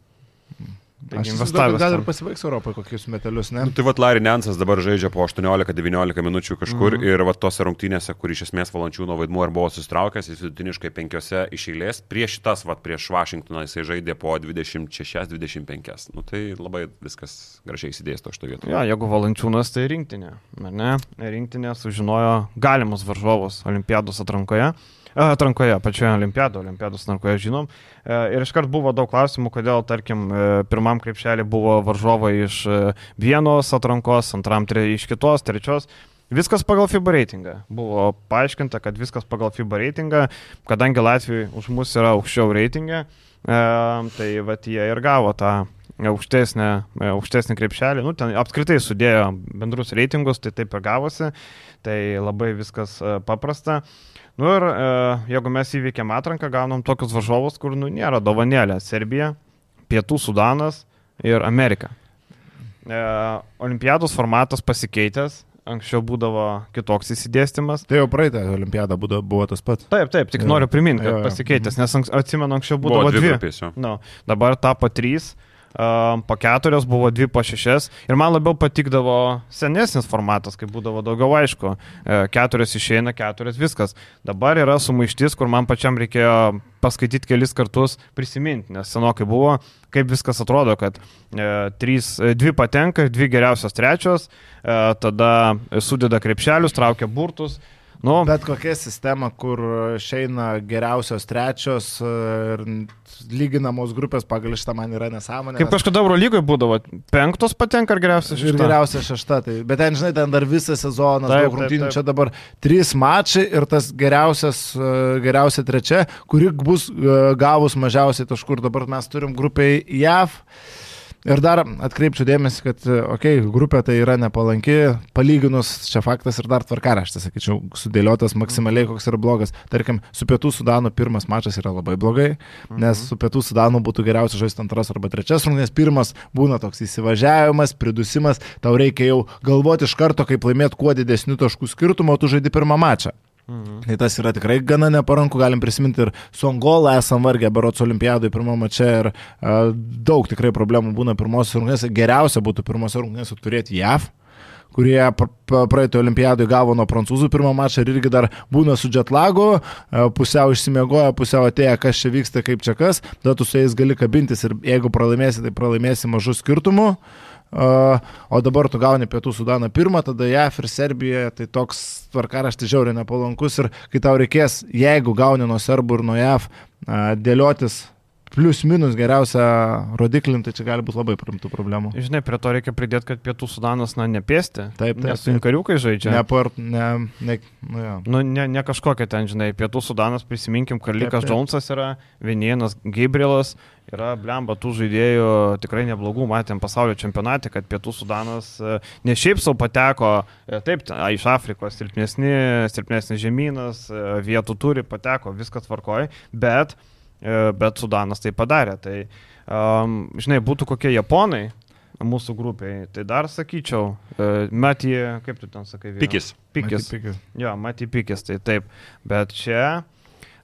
Aš įsivaizduoju, gal ir pasibaigs Europoje kokius metelius, ne? Nu, tai vat Larry Nansas dabar žaidžia po aštuoniolika devyniolika minučių kažkur, Mhm. ir vat tose rungtynėse, kur iš esmės Valančiūno vaidmuo ir buvo susitraukęs, jis vidutiniškai penkiose iš eilės. Prieš šitas, vat prieš Vašingtoną jisai žaidė po dvidešimt šešias dvidešimt penkias. Nu, tai labai viskas gražiai įsidėsto šito vietoje. Ja, jeigu Valančiūnas, tai rinktinė. Ar ne? Rinktinė sužinojo galimus varžovus olimpiados atrankoje. Atrankoje, pačioje olimpiado, olimpiados atrankoje žinom. Ir iškart buvo daug klausimų, kodėl, tarkim, pirmam krepšelį buvo varžovai iš vienos atrankos, antram tre, iš kitos, trečios. Viskas pagal FIBA reitingą. Buvo paaiškinta, kad viskas pagal FIBA reitingą, kadangi Latvijai už mus yra aukščiau reitingė, tai vat jie ir gavo tą aukštesnį, aukštesnį krepšelį. Nu, ten apskritai sudėjo bendrus reitingus, tai taip ir gavosi. Tai labai viskas paprasta. Nu ir e, jeigu mes įveikėm atranką, gaunam tokius varžovus, kur nu, nėra dovanėlė. Serbija, Pietų Sudanas ir Amerika. E, olimpiados formatas pasikeitęs. anksčiau būdavo kitoks įsidėstymas. Tai jau praeitą olimpiadą būdavo, buvo tas pats. Taip, taip, tik Jo. noriu priminti, kad Jo, jo. pasikeitęs, nes anks, atsimenu, anksčiau būdavo Buvo dvi dvi. grupės, jo. No, dabar tapo trys. Um, po keturios buvo dvi po šešias ir man labiau patikdavo senesnis formatas, kai būdavo daugiau aišku, e, keturios išeina, keturios viskas. Dabar yra sumaištis, kur man pačiam reikėjo paskaityti kelis kartus, prisiminti, nes senokai buvo, kaip viskas atrodo, kad e, trys, e, dvi patenka, dvi geriausios trečios, e, tada sudeda krepšelius, traukia burtus. Nu, Bet kokia sistema, kur išeina geriausios trečios ir lyginamos grupės pagal šitą man yra nesąmonė. kaip kažkada Eurolygoje būdavo, penktos patenka ar geriausias Ir geriausia šešta. Tai, bet ten, žinai, ten dar visas sezonas, Taip, daug taip, rungtynių, taip. čia dabar trys mačai ir tas geriausias, e, geriausia trečia, kuri bus e, gavus mažiausiai taškų. Ir dabar mes turim grupiai J A V. Ir dar atkreipčiau dėmesį, kad, okei, okay, grupė tai yra nepalanki, palyginus čia faktas ir dar tvarkaraštis, sakyčiau, sudėliotas maksimaliai, koks yra blogas. Tarkim, su Pietų Sudanu pirmas mačas yra labai blogai, nes su Pietų Sudanu būtų geriausia žaisti antras arba trečias rungtynės. Pirmas būna toks įsivažiavimas, pridusimas, tau reikia jau galvoti iš karto, kaip laimėti kuo didesnių taškų skirtumą, o tu žaidi pirmą mačą. Mhm. Tai tas yra tikrai gana neparanku, galim prisiminti ir su Angola esam vargę berots olimpiadai pirmą mačą ir uh, daug tikrai problemų būna pirmosios rungtynėse. Geriausia būtų pirmosios rungtynėse turėti J A V, kurie praeitą olimpiadai gavo nuo prancūzų pirmą mačą ir irgi dar būna su jetlagu, uh, pusiau išsimiegoja, pusiau atėję, kas čia vyksta, kaip čia kas, tada tu su jais gali kabintis ir jeigu pralaimėsi, tai pralaimėsi mažų skirtumų. Uh, o dabar tu gauni Pietų Sudaną pirmą, tada J A V ir Serbijoje, tai toks tvarkaraštis žiauriai nepalankus ir kai tau reikės, jeigu gauni nuo serbų ir nuo J A V, uh, dėliotis plius minus geriausią rodiklį, tai čia gali būti labai rimtų problemų. Žinai, prie to reikia pridėti, kad Pietų Sudanas, na, nepėsti. Taip, taip, Nes su inkariukai žaidžia. Ne, par, ne, ne, nu, ja. Nu, ne, ne kažkokia ten, žinai, Pietų Sudanas, prisiminkim, Karlikas Taip, taip. Džonsas yra, Vienienas Gabrielas, yra blemba tų žaidėjų tikrai neblogų, matėm pasaulio čempionate, kad Pietų Sudanas e, ne šiaip savo pateko, e, taip, ten, a, iš Afrikos silpnesni, silpnesnis žemynas, e, vietų turi, pateko, viskas tvarkoja, bet, e, bet Sudanas tai padarė. Tai, um, žinai, būtų kokie Japonai mūsų grupiai, tai dar sakyčiau, e, Mati, kaip tu ten sakai? Vyra? Pikis. Pikis. Mati Pikis. Jo, Mati Pikis, tai taip. Bet čia,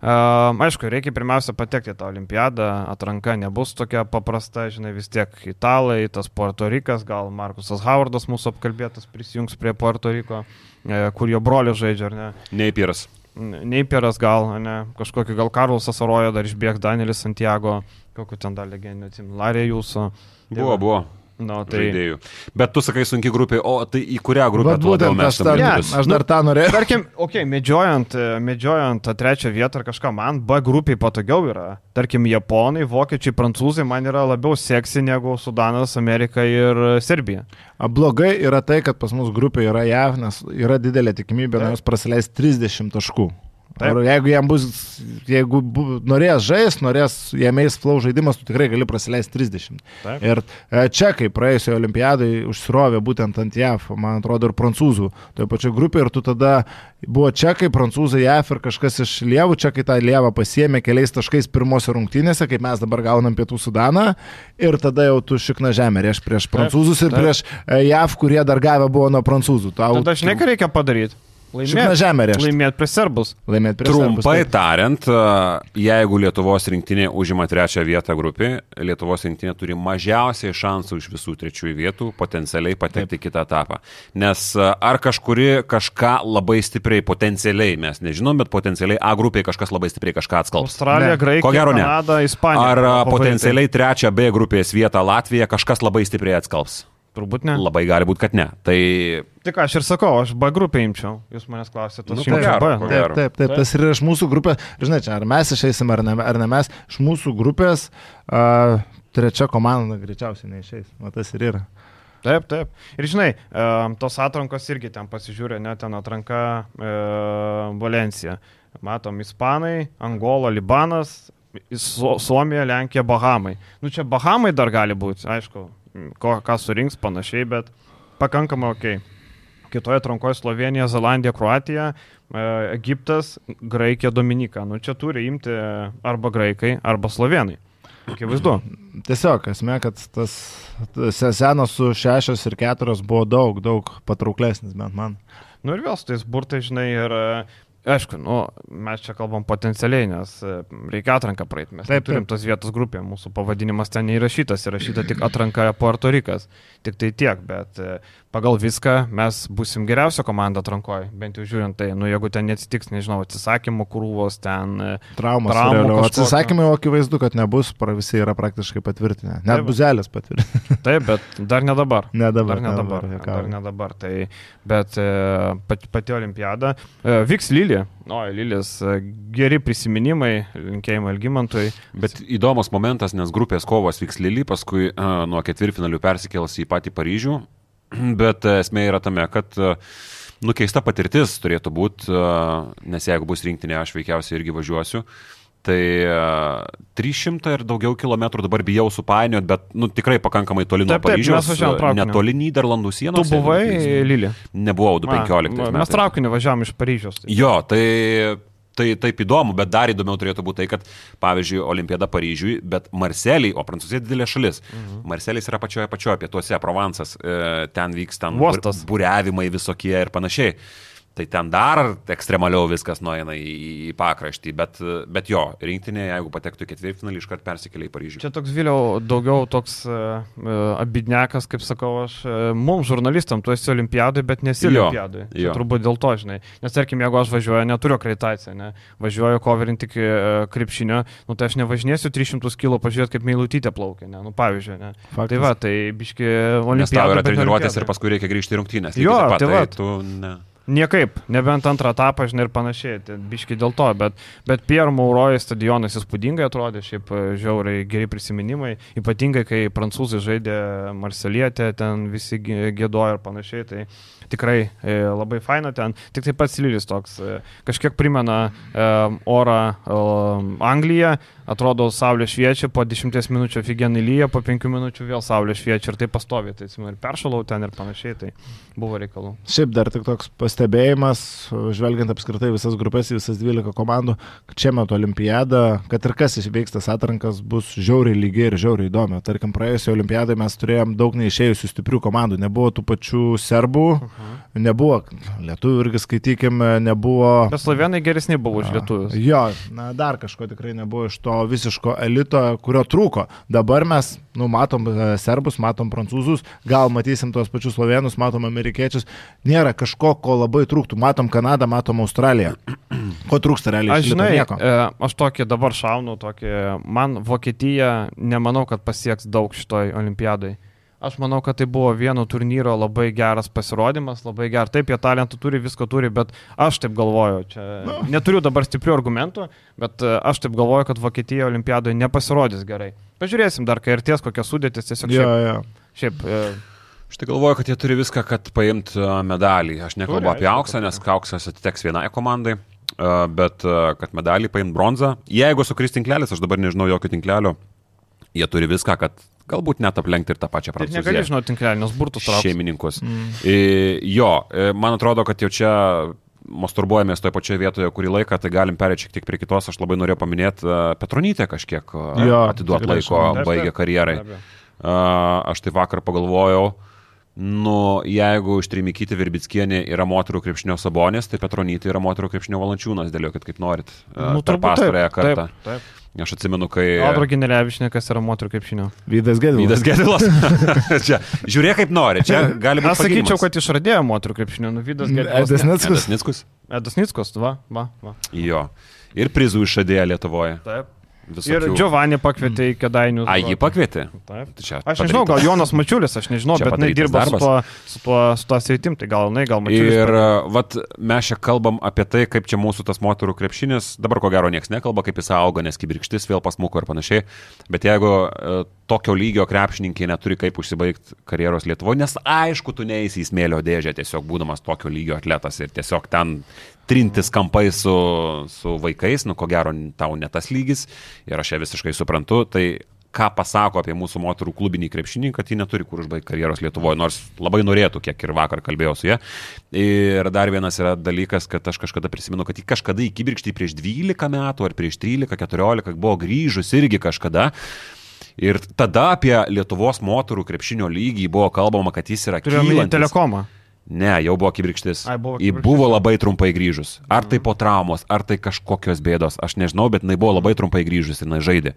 um, aišku, reikia pirmiausia patekti į tą olimpiadą, atranka nebus tokia paprasta, žinai, vis tiek italai, tas Puerto Rikas, gal Markusas Howardas mūsų apkalbėtas prisijungs prie Puerto Riko, e, kur jo brolius žaidžia, ar ne? Neipieras. Neipieras gal, ne, kažkokį gal Karlosas Arojo dar išbėgs, Danielis Santiago, kokiu ten dar legendinį, atsimenu, Larė jūsų. Buvo, buvo. No, tai... Žaidėjų. Bet tu sakai sunki grupė, o tai į kurią grupę Bet tu labiau būtent aš, mestum dar, lietuvius? aš dar tą norėjau. Tarkim, okei, okay, medžiojant, medžiojant tą trečią vietą ar kažką, man B grupiai patogiau yra. Tarkim, Japonai, Vokiečiai, Prancūzai man yra labiau seksi negu Sudanas, Amerika ir Serbija. Blogai yra tai, kad pas mus grupė yra J A V, nes yra didelė tikimybė, Taip. nuo jos prasileis trisdešimt taškų. Taip. Ar jeigu jam bus, jeigu bu, norės žais, norės jame įsflau žaidimas, tu tikrai gali prasileisti trisdešimt. Taip. Ir e, čekai praėjusioje olimpiadai užsirovė būtent ant J A V, man atrodo, ir prancūzų toje pačioje grupėje, ir tu tada buvo čekai, prancūzai, J A V ir kažkas iš lievų, čekai tą lievą pasiėmė keliais taškais pirmose rungtynėse, kaip mes dabar gaunam Pietų Sudaną, ir tada jau tu šikna žemė rieš prieš prancūzus ir taip. prieš e, J A V, kurie dar gavę buvo nuo prancūzų. Tau, Tada žinai, ką reikia padaryti? šikna žemė rieš. Laimėti prie serbus. Laimėti prieš serbus, Trumpai taip. tariant, jeigu Lietuvos rinktinė užima trečią vietą grupį, Lietuvos rinktinė turi mažiausiai šansų iš visų trečiųjų vietų potencialiai patekti į kitą etapą. Nes ar kažkuri kažką labai stipriai, potencialiai, mes nežinom, bet potencialiai A grupiai kažkas labai stipriai kažką atskalbs. Australija, Ne. Graikija, Ko gero ne. Kanada, Ispanija. Ar Favoritai. potencialiai trečią B grupės vietą Latvija kažkas labai stipriai atskalbs? Turbūt ne. Labai gali būti, kad ne. Tai Tik aš ir sakau, aš B grupę imčiau. Jūs manęs klausėte, Nu, aš ko imčiau gero, B. ko nu. gero. Taip, taip, taip, tas ir iš mūsų grupės, žinai, čia ar mes išeisim ar ne, ar ne mes, iš mūsų grupės uh, trečia komanda greičiausiai neišeis, o tas ir yra. Taip, taip. Ir žinai, um, tos atrankos irgi ten pasižiūrė, net ten atranka uh, Valencija. Matom, Ispanai, Angola, Libanas, Su- Suomija, Lenkija, Bahamai. Nu čia Bahamai dar gali būti, aišku, ko, ką surinks panašiai, bet pakankamai ok. Kitoje atrankoje Slovenija, Zelandija, Kroatija, e, Egiptas, Graikija, Dominika. Nu čia turi imti arba graikai, arba slovenai. Akivaizdu. Tiesiog, esmė, kad tas sezonas su šešios ir keturios buvo daug, daug patrauklesnis, bent man. Nu ir vėl su tais burtai, žinai, ir aišku, nu, mes čia kalbam potencialiai, nes reikia atranką praeiti. Mes taip, turim tos vietos grupėje, mūsų pavadinimas ten neįrašytas, įrašyta tik atranka Puerto Rikas. Tik tai tiek, bet pagal viską mes būsim geriausia komanda atrankoje, bent jau žiūrint tai, nu jeigu ten neatsitiks, nežinau, atsisakymų krūvos, ten traumas, traumų atsisakymai, o akivaizdu, kad nebus, visi yra praktiškai patvirtinę. Net taip, Buzelis patvirtinę. Taip, bet dar ne dabar. Ne dabar. Dar ne dabar. Ne dabar, ne dabar. Tai, bet pati, pati olimpiada. Vyks Lilė. O, Lilis, geri prisiminimai, linkėjimai Algimantui. Bet įdomus momentas, nes grupės kovos vyks Lilį, paskui uh, nuo ketvirtfinalių persikels į patį Paryžių. Bet esmė yra tame, kad nu, keista patirtis turėtų būti, nes jeigu bus rinktinė, aš veikiausiai irgi važiuosiu. Tai trys šimtai ir daugiau kilometrų dabar bijau supainiot, bet nu, tikrai pakankamai toli nuo Paryžiaus, netoli Nyderlandų sienos. Tu buvai Lilė? Nebuvau, du penkioliktais metais. Mes traukiniu važiavom iš Paryžiaus. Tai. Jo, tai... Tai taip įdomu, bet dar įdomiau turėtų būti tai, kad, pavyzdžiui, Olimpiada Paryžiui, bet Marselį, o Prancūzija didelė šalis. Mhm. Marselis yra pačioje pačioje pietuose, Provansas, ten vyks ten būriavimai visokie ir panašiai. Tai ten dar ekstremaliau viskas nueina į, į pakraštį, bet, bet jo, rinktinė, jeigu patektų į ketvirtfinalį, iškart persikelia į Paryžių. Čia toks vėliau daugiau toks uh, abidnekas, kaip sakau aš, uh, mums žurnalistam, tu esi olimpiadai, bet nesi olimpiadai. Čia turbūt dėl to, žinai. Nes tarkim, jeigu aš važiuoju, neturiu akreditaciją, ne? Važiuoju koverinti tik uh, krepšinio, nu tai aš nevažinėsiu tris šimtus kilų pažiūrėti, kaip Meilutytė plaukia, ne? Nu pavyzdžiui, ne? Faktas. Tai va, tai biški olimpiadai. Nes tau yra treniruotės ir paskui reikia grįžti į rungtynes. Jo, tai va. Tai tu, ne. Niekaip, nebent antrą etapą, žinai, ir panašiai, tai biški dėl to, bet, bet Pierre Mauroy stadionas įspūdingai atrodė, šiaip žiauriai geri prisiminimai, ypatingai, kai prancūzai žaidė Marselietę, ten visi gėdojo ir panašiai, tai tikrai e, labai faina ten, tik taip pats Lilis toks, e, kažkiek primena e, orą e, Angliją, atrodo saulė šviečia, po dešimties minučių ofigenai lyja, po penkių minučių vėl saulė šviečia ir tai pastovi, tai atsimenu, ir peršalau ten ir panašiai, tai buvo reikalų. Šiaip dar tik toks pastebėjimas, žvelgiant apskritai visas grupės, visas dvylika komandų, kad čia metu olimpiada, kad ir kas įveiks tas atrankas, bus žiauriai lygi ir žiauriai įdomi. Tarkim, praėjusioje olimpiadai mes turėjom daug neišėjusių stiprių komandų, nebuvo tų pačių serbų, uh-huh. nebuvo lietuvių irgi skaitykime, nebuvo... Bet slovenai geresni buvo už lietuvius. Jo, na, dar kažko tikrai nebuvo iš to visiško elito, kurio trūko. Dabar mes, nu, matom serbus, matom prancūzus, gal matysim tuos pačius slovenus, matom amerikiečius, nėra kažko, ko labai trūktų. Matom Kanadą, matom Australiją. Ko trūksta realiai? Aš žinai, nieko. Aš tokį dabar šaunu, tokį, man Vokietija nemanau, kad pasieks daug šitoj olimpiadai. Aš manau, kad tai buvo vieno turnyro labai geras pasirodymas, labai geras. Taip, jie talentų turi, visko turi, bet aš taip galvoju, čia no. neturiu dabar stiprių argumentų, bet aš taip galvoju, kad Vokietija olimpiadoje nepasirodys gerai. Pažiūrėsim dar, kai ir ties kokios sudėtis, tiesiog šiaip. Ja, ja. šiaip e... Aš tai galvoju, kad jie turi viską, kad paimt medalį. Aš nekalbu turi, apie auksą, nes auksas atiteks vienai komandai, bet kad medalį paimt bronzą. Jeigu sukris tinklelis, aš dabar nežinau jokio tinklelio, jie turi viską, kad galbūt net aplenkti ir tą pačią Prancūziją. Tai negali žinoti tinklelį, nes burtus trauks. Šeimininkus. Mm. I, jo, man atrodo, kad jau čia masturbuojamės toje pačioje vietoje kurį laiką, tai galim perėti šiek tiek prie kitos. Aš labai norėjau paminėti Petronytę kažkiek atiduoti laiko, baigė karjerai. Aš tai vakar pagalvojau, nu, jeigu Štrimikyti Virbickienė yra moterų krepšinio Sabonės, tai Petronytė yra moterų krepšinio Valančiūnas, dėliokit kaip norit. Nu, per pastarąją kartą. Taip, taip. Aš atsimenu, kai... Audro Ginelevičininkas yra moterų krepšinio. Vydas Gedilas. Vydas Gedilas. Čia, žiūrėk kaip nori, čia gali būti aš sakyčiau, kad išradėjo moterų krepšinio. Nu, Vydas Gedilas. Edas Nickus. Edas Nickus. Edas Nickus, va, va, va. Jo. Ir prizų išradėjo Lietuvoje. Taip. Visokių. Ir Giovanni pakvietė į Kėdainius. A, jį pakvietė? Taip. Čia aš nežinau, gal Jonas Mačiulis, aš nežinau, čia bet jinai dirba su tuo, su tuo, su tuo sveitim, tai gal jinai, gal Mačiulis. Ir pat... vat, mes čia kalbam apie tai, kaip čia mūsų tas moterų krepšinis, dabar ko gero nieks nekalba, kaip jis auga, nes kibirkštis vėl pasmuko ir panašiai, bet jeigu uh, tokio lygio krepšininkai neturi kaip užsibaigti karjeros Lietuvoje, nes aišku, tu neįsi į smėlio dėžę, tiesiog būdamas tokio lygio atletas ir tiesiog ten trintis kampai su, su vaikais, nu ko gero tau ne tas lygis ir aš ją visiškai suprantu, tai ką pasako apie mūsų moterų klubinį krepšinį, kad ji neturi kur užbaigti karjeros Lietuvoje, nors labai norėtų, kiek ir vakar kalbėjau su ja. Ir dar vienas yra dalykas, kad aš kažkada prisimenu, kad ji kažkada į kibirkštį prieš dvylika metų ar prieš trylika, keturiolika buvo grįžus irgi kažkada. Ir tada apie Lietuvos moterų krepšinio lygį buvo kalbama, kad jis yra kylantis. Turėjome telekomą. Ne, jau buvo kibirkštis. Ai, buvo Ji kibirkštis. buvo labai trumpai grįžus. Ar tai po traumos, ar tai kažkokios bėdos, aš nežinau, bet jinai buvo labai trumpai grįžus ir jinai žaidė.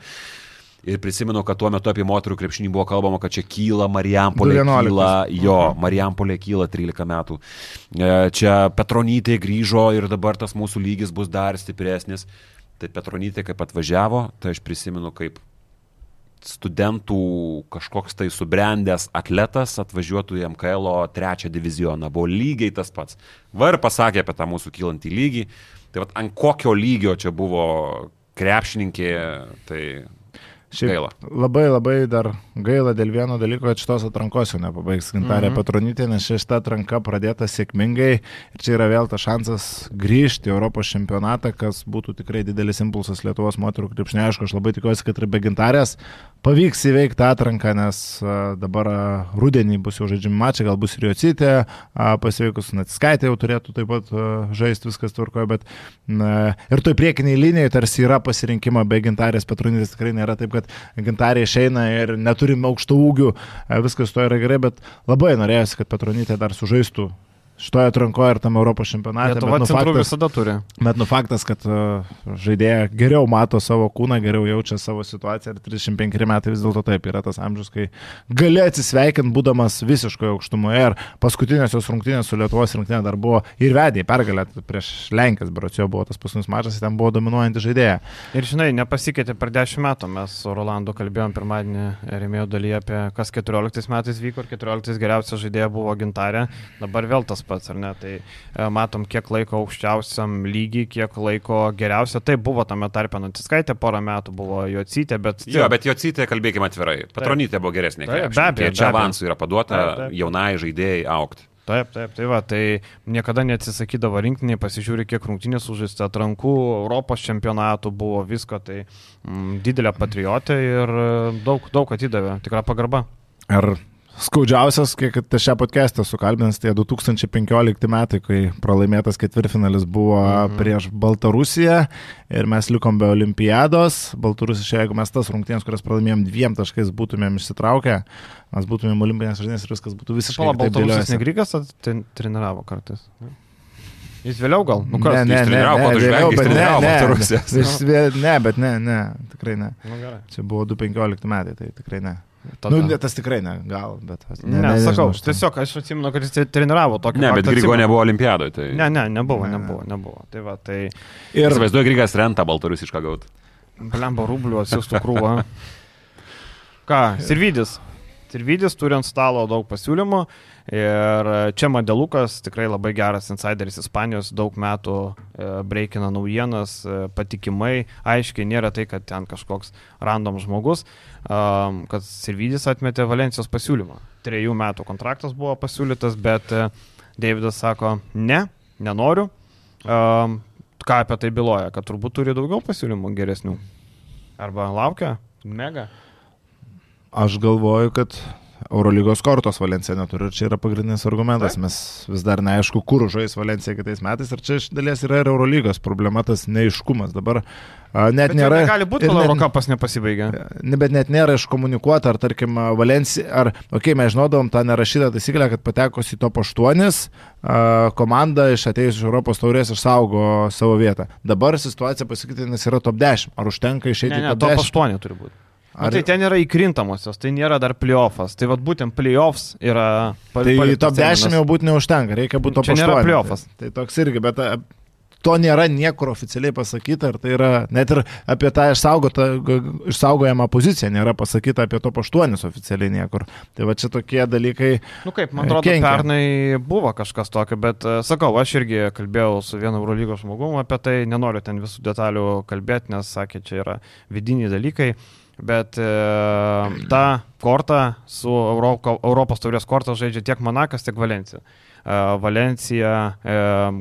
Ir prisimenu, kad tuo metu apie moterų krepšinį buvo kalbama, kad čia kyla Marijampolė, kyla, jo, Marijampolė kyla trylika metų. Čia Petronytė grįžo ir dabar tas mūsų lygis bus dar stipresnis. Tai Petronytė kaip atvažiavo, tai aš prisimenu, kaip studentų kažkoks tai subrendęs atletas atvažiuotų į M K L trečią divizioną. Buvo lygiai tas pats. Va ir pasakė apie tą mūsų kylantį lygį. Tai vat ant kokio lygio čia buvo krepšininkė, tai Šiaip gaila. Labai labai dar gaila dėl vieno dalyko, kad šitos atrankos jau nepabaigs Gintarė Mhm. Petronytė, nes šita atranka pradėta sėkmingai ir čia yra vėl tas šansas grįžti į Europos čempionatą, kas būtų tikrai didelis impulsas Lietuvos moterų krepšinio. Aišku, aš labai tikiuosi, kad ir be Gintarės pavyks įveikti atranką, nes a, dabar a, rudenį bus jau žaidžiami mačai, gal bus ir Jocitė, pasveikus Natiskaitė jau turėtų taip pat a, žaisti, viskas tvarkoja, bet na, ir toj priekiniai linijai tarsi yra pasirinkimo, be Gintarės Petronytės tikrai nėra taip, kad Gintarė išeina ir neturime aukštų ūgių, viskas to yra gerai, bet labai norėjosi, kad Petronytė dar sužaistų šitoje atrankoje ir tam Europos čempionate. Lietuva nu, centrų faktas, visada turi. bet nu faktas, kad uh, žaidėja geriau mato savo kūną, geriau jaučia savo situaciją ir trisdešimt penkeri metai vis dėlto taip yra tas amžius, kai gali atsisveikinti, būdamas visiškoje aukštumoje. Ir paskutinės jos rungtynės su Lietuvos rinktinė dar buvo ir vedė į pergalę prieš Lenkijas, berods jo buvo tas paskutinis mačas, ten buvo dominuojanti žaidėja. Ir žinai, nepasikeitė per dešimt metų. Mes su Rolandu kalbėjom pirmadienį rėmėjų dalyje apie kas keturioliktais metais vyko ir keturioliktais geriausia žaidėja buvo Gintarė. Dabar vėl tas pats, ar ne? Tai e, matom, kiek laiko aukščiausiam lygiai, kiek laiko geriausia. Tai buvo tame tarpe Natiskaitė, porą metų buvo Jocitė, bet... Jo, bet Jocitė, kalbėkime atvirai, Petronytė buvo geresnė. Taip, be krepšininkė. abejo, Čia be abejo. avansų yra paduota Taip, taip. jaunai žaidėjai aukti. Taip, taip, tai va, tai niekada neatsisakydavo rinktinį, pasižiūri, kiek rungtynės užžaista, atrankų, Europos čempionatų buvo, visko, tai mm, didelė patriotė ir e, daug, daug atidavė, tikra pagarba. Ir skaudžiausias, kiek šią podcastą sukalbinęs, tai du tūkstančiai penkiolikti metai, kai pralaimėtas ketvirtfinalis buvo mhm. prieš Baltarusiją ir mes likom be olimpiados. Baltarusija, jeigu mes tas rungtynės, kurias pralaimėjom dviem taškais, būtumėm išsitraukę, mes būtumėm olimpinės žaidynės ir viskas būtų visiškai Pala, kitaip Baltarusijos dėliojasi. Negrykas ten treniravo kartais. Jis vėliau gal? Nu, kas? Ne, ne, jis ne, treniravo, ne, po to vėliau, žvengia, jis bet ne, treniravo ne, Baltarusijos. jis vėl- ne, bet ne, ne, tikrai ne. Nu, gerai. Čia buvo du tūkstančiai penkiolikti metai, tai tikrai ne. Tada. Nu, ne, tas tikrai ne, gal, bet... Ne, ne, sakau, tiesiog aš atsimenu, kad jis treniravo tokį. Ne, bet faktą Grygo atsimenu. nebuvo olimpiadoje. Tai... Ne, ne, nebuvo, Ne. nebuvo, nebuvo. Tai va, tai... Ir Įsivaizduoju, Grygas rentą baltarusišką gauti. Blemba rublių atsiųstų krūvą. Ką, Sirvidis. Sirvidis turi ant stalo daug pasiūlymų ir čia Madelukas, tikrai labai geras insideris Ispanijos, daug metų e, breikina naujienas, e, patikimai, aiškiai, nėra tai, kad ten kažkoks random žmogus, um, kad Sirvidis atmetė Valencijos pasiūlymą. Trejų metų kontraktas buvo pasiūlytas, bet e, Deividas sako, ne, nenoriu. Um, ką apie tai byloja, kad turbūt turi daugiau pasiūlymų geresnių. Arba laukia, mega. aš galvoju, kad Eurolygos kortos Valencija neturi ir čia yra pagrindinis argumentas. Taip. Mes vis dar neaišku, kur žais Valencija kitais metais ir čia iš dalies yra ir Eurolygos problema, tas neiškumas. Dabar a, net Bet nėra... gali būti, ir kol net- Eurokapas nepasibaigė. Ne, bet net nėra iškomunikuota, ar tarkim Valencija, ar, okei, okay, mes žinodom tą nerašytą taisyklę, kad patekus į top aštuonis, a, komanda iš atėjus iš Europos taurės išsaugo savo vietą. Dabar situacija pasikeitė, nes yra top dešimt. Ar užtenka išeiti Ne, į ne, top top dešimt? aštuoni turi būti. Ar... Ar... Tai ten yra įkrintamosios, tai nėra dar playoffas. Tai vad būtent playoffs yra... Tai top dešimt jau būti neužtenka, reikia būti top Čia aštuoni. nėra playoffas. Tai, tai toks irgi, bet a, to nėra niekur oficialiai pasakyta, ir tai yra net ir apie tą išsaugotą, išsaugojamą poziciją nėra pasakyta apie top aštuonis oficialiai niekur. Tai va čia tokie dalykai. Nu kaip, man atrodo, kenkia. pernai buvo kažkas tokio, bet uh, sakau, aš irgi kalbėjau su vienu Eurolygos žmogum apie tai, nenoriu ten visų detalių kalbėti, nes sakė, čia yra vidiniai dalykai. Bet e, tą kortą su Euro, Europos taurės kortą žaidžia tiek Monakas, tiek Valencija. E, Valencija e,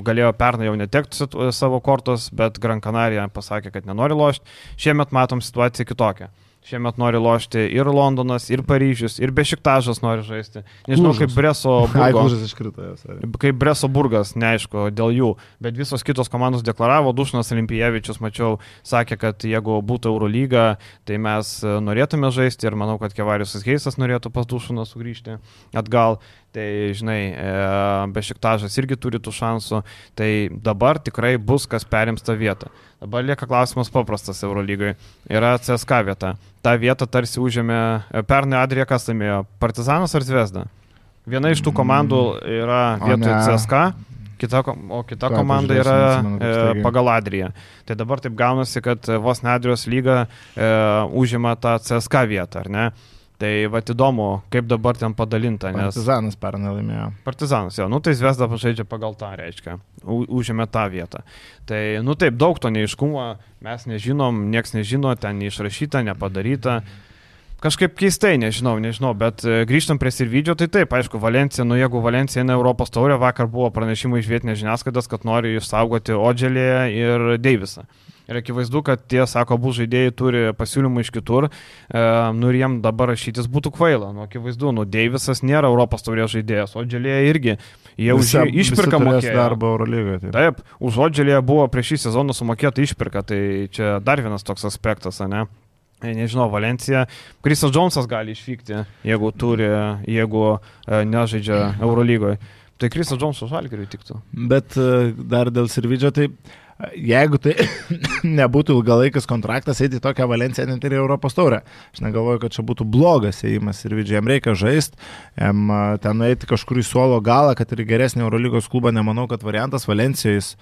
galėjo pernai jau netekti savo kortos, bet Gran Canaria pasakė, kad nenori lošti. Šiemet matom situaciją kitokią. Šiemet nori lošti ir Londonas, ir Paryžius, ir Bešiktažas nori žaisti. Nežinau, Klužas. kaip Breso Ai, burgo, Klužas iškrito. kaip Breso burgas, neaišku, dėl jų. Bet visos kitos komandos deklaravo, Dušnas Olimpijevičius, mačiau, sakė, kad jeigu būtų Eurolyga, tai mes norėtume žaisti ir manau, kad Kevariusas Heisas norėtų pas Dušaną sugrįžti atgal. Tai, žinai, Bešiktažas irgi turi tų šansų. Tai dabar tikrai bus, kas perims tą vietą. Dabar lieka klausimas paprastas Eurolygai. Yra C S K vieta. Ta vieta tarsi užėmė, pernai Adrija kas laimėjo, Partizanas ar Zvezda? Viena iš tų komandų yra vietoje C S K, kita, o kita Ką, komanda yra pažiūrėsim, atsimenu, e, pagal Adriją. Tai dabar taip gaunasi, kad vos ne Adrijos lyga e, užima tą C S K vietą, ar ne? Tai va įdomu, kaip dabar ten padalinta. Nes... Partizanas pernai laimėjo. Partizanas, jo, nu tai Zvezda pažaidžia pagal tą, reiškia, U, užėmė tą vietą. Tai, nu taip, daug to neiškumo, mes nežinom, nieks nežino, ten neišrašyta, nepadaryta. Kažkaip keistai, nežinau, nežinau, bet grįžtam prie Sirvidžio, tai taip, aišku, Valencija, nu jeigu Valencija eina Europos taurę, vakar buvo pranešimai iš vietinės žiniasklaidos, kad nori išsaugoti Odželį ir Deivisą. Ir akivaizdu, kad tie, sako, abu žaidėjai turi pasiūlymų iš kitur, e, nu ir jiem dabar rašytis būtų kvaila. Nu, akivaizdu, nu, Deivisas nėra Europos taurės žaidėjas, Odželėje irgi. Jie už jį išpirką mokėjo. Darbą Eurolygoje. Taip. taip, už Odželėje buvo prieš šį sezoną sumokėta išpirka, tai čia dar vienas toks aspektas, ne? Nežinau, Valencija, Krisas Džonsas gali išvykti, jeigu turi, jeigu e, nežaidžia Eurolygoje. Tai Krisas Džonsas Žalgiriui tiktų. Bet e, dar dėl Sirvidžio, tai jeigu tai nebūtų ilgalaikis kontraktas, eiti į tokią Valenciją net ir Europos taurę. Aš negalvoju, kad čia būtų blogas ėjimas Sirvidžiui. Jam reikia žaisti, jam ten nueiti kažkur į suolo galą, kad ir geresnį Eurolygos klubą, nemanau, kad variantas Valencijais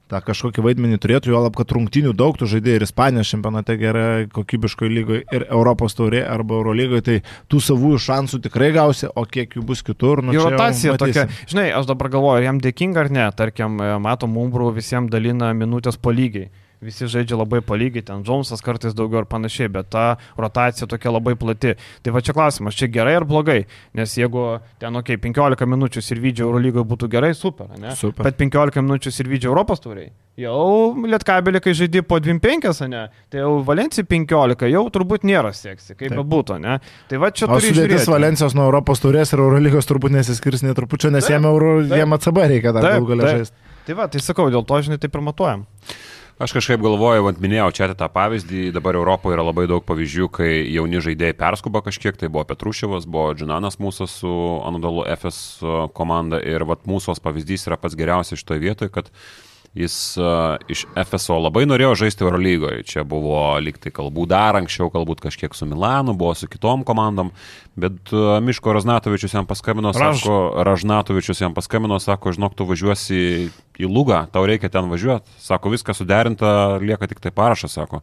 tą kažkokį vaidmenį turėtų, jo lab, kad rungtynių daug tų žaidėjų ir Ispanijos čempionate gerai kokybiškoje lygoje ir Europos taurė arba Eurolygoje, tai tų savųjų šansų tikrai gausi, o kiek jų bus kitur. Nu, jų rotacija tokia, žinai, aš dabar galvoju, ar jam dėkinga ar ne, tarkim, matom, Umbrų visiems dalina minutės po lygiai. Visi žaidžia labai palygiai, ten Džonsas kartais daugiau ir panašiai, bet ta rotacija tokia labai plati. Tai va čia klausimas, čia gerai ar blogai, nes jeigu ten, okei, okay, penkiolika minučių Sirvidžio Eurolygoje būtų gerai, super, ne? Super. Bet penkiolika minučių Sirvidžio Europos tauriai. Jau Lietkabelį, kai žaidži po dvim penkias, ne? Tai jau Valencija penkiolika, jau turbūt nėra seksi, kaip bebūtų, ne? Tai va čia o turi sudėtis žiūrėti. Valencijos nuo Europos taurės ir Eurolygos turbūt nesiskirs net trupučio, nes jiem Euro, jiem A C B reikia dar Taip, galų galę taip. žaisti. Tai va, tai sakau, dėl to, žinai, taip ir matuojam. Aš kažkaip galvoju, vat minėjau čia tą pavyzdį, dabar Europoje yra labai daug pavyzdžių, kai jauni žaidėjai perskuba kažkiek, tai buvo Petruševas, buvo Džinanas mūsų su Anadolu Efes komanda ir vat mūsų pavyzdys yra pats geriausias šitoje vietoje, kad jis uh, iš Efeso labai norėjo žaisti Eurolygoje. Čia buvo lygtai kalbų dar anksčiau, galbūt kažkiek su Milanu, buvo su kitom komandom, bet uh, Miško Ražnatovičius jam paskambino, Raž. sako, Ražnatovičius jam paskambino, sako, žinok, tu važiuosi į Lugą, tau reikia ten važiuoti. Sako, viskas suderinta, lieka tik tai parašas, sako.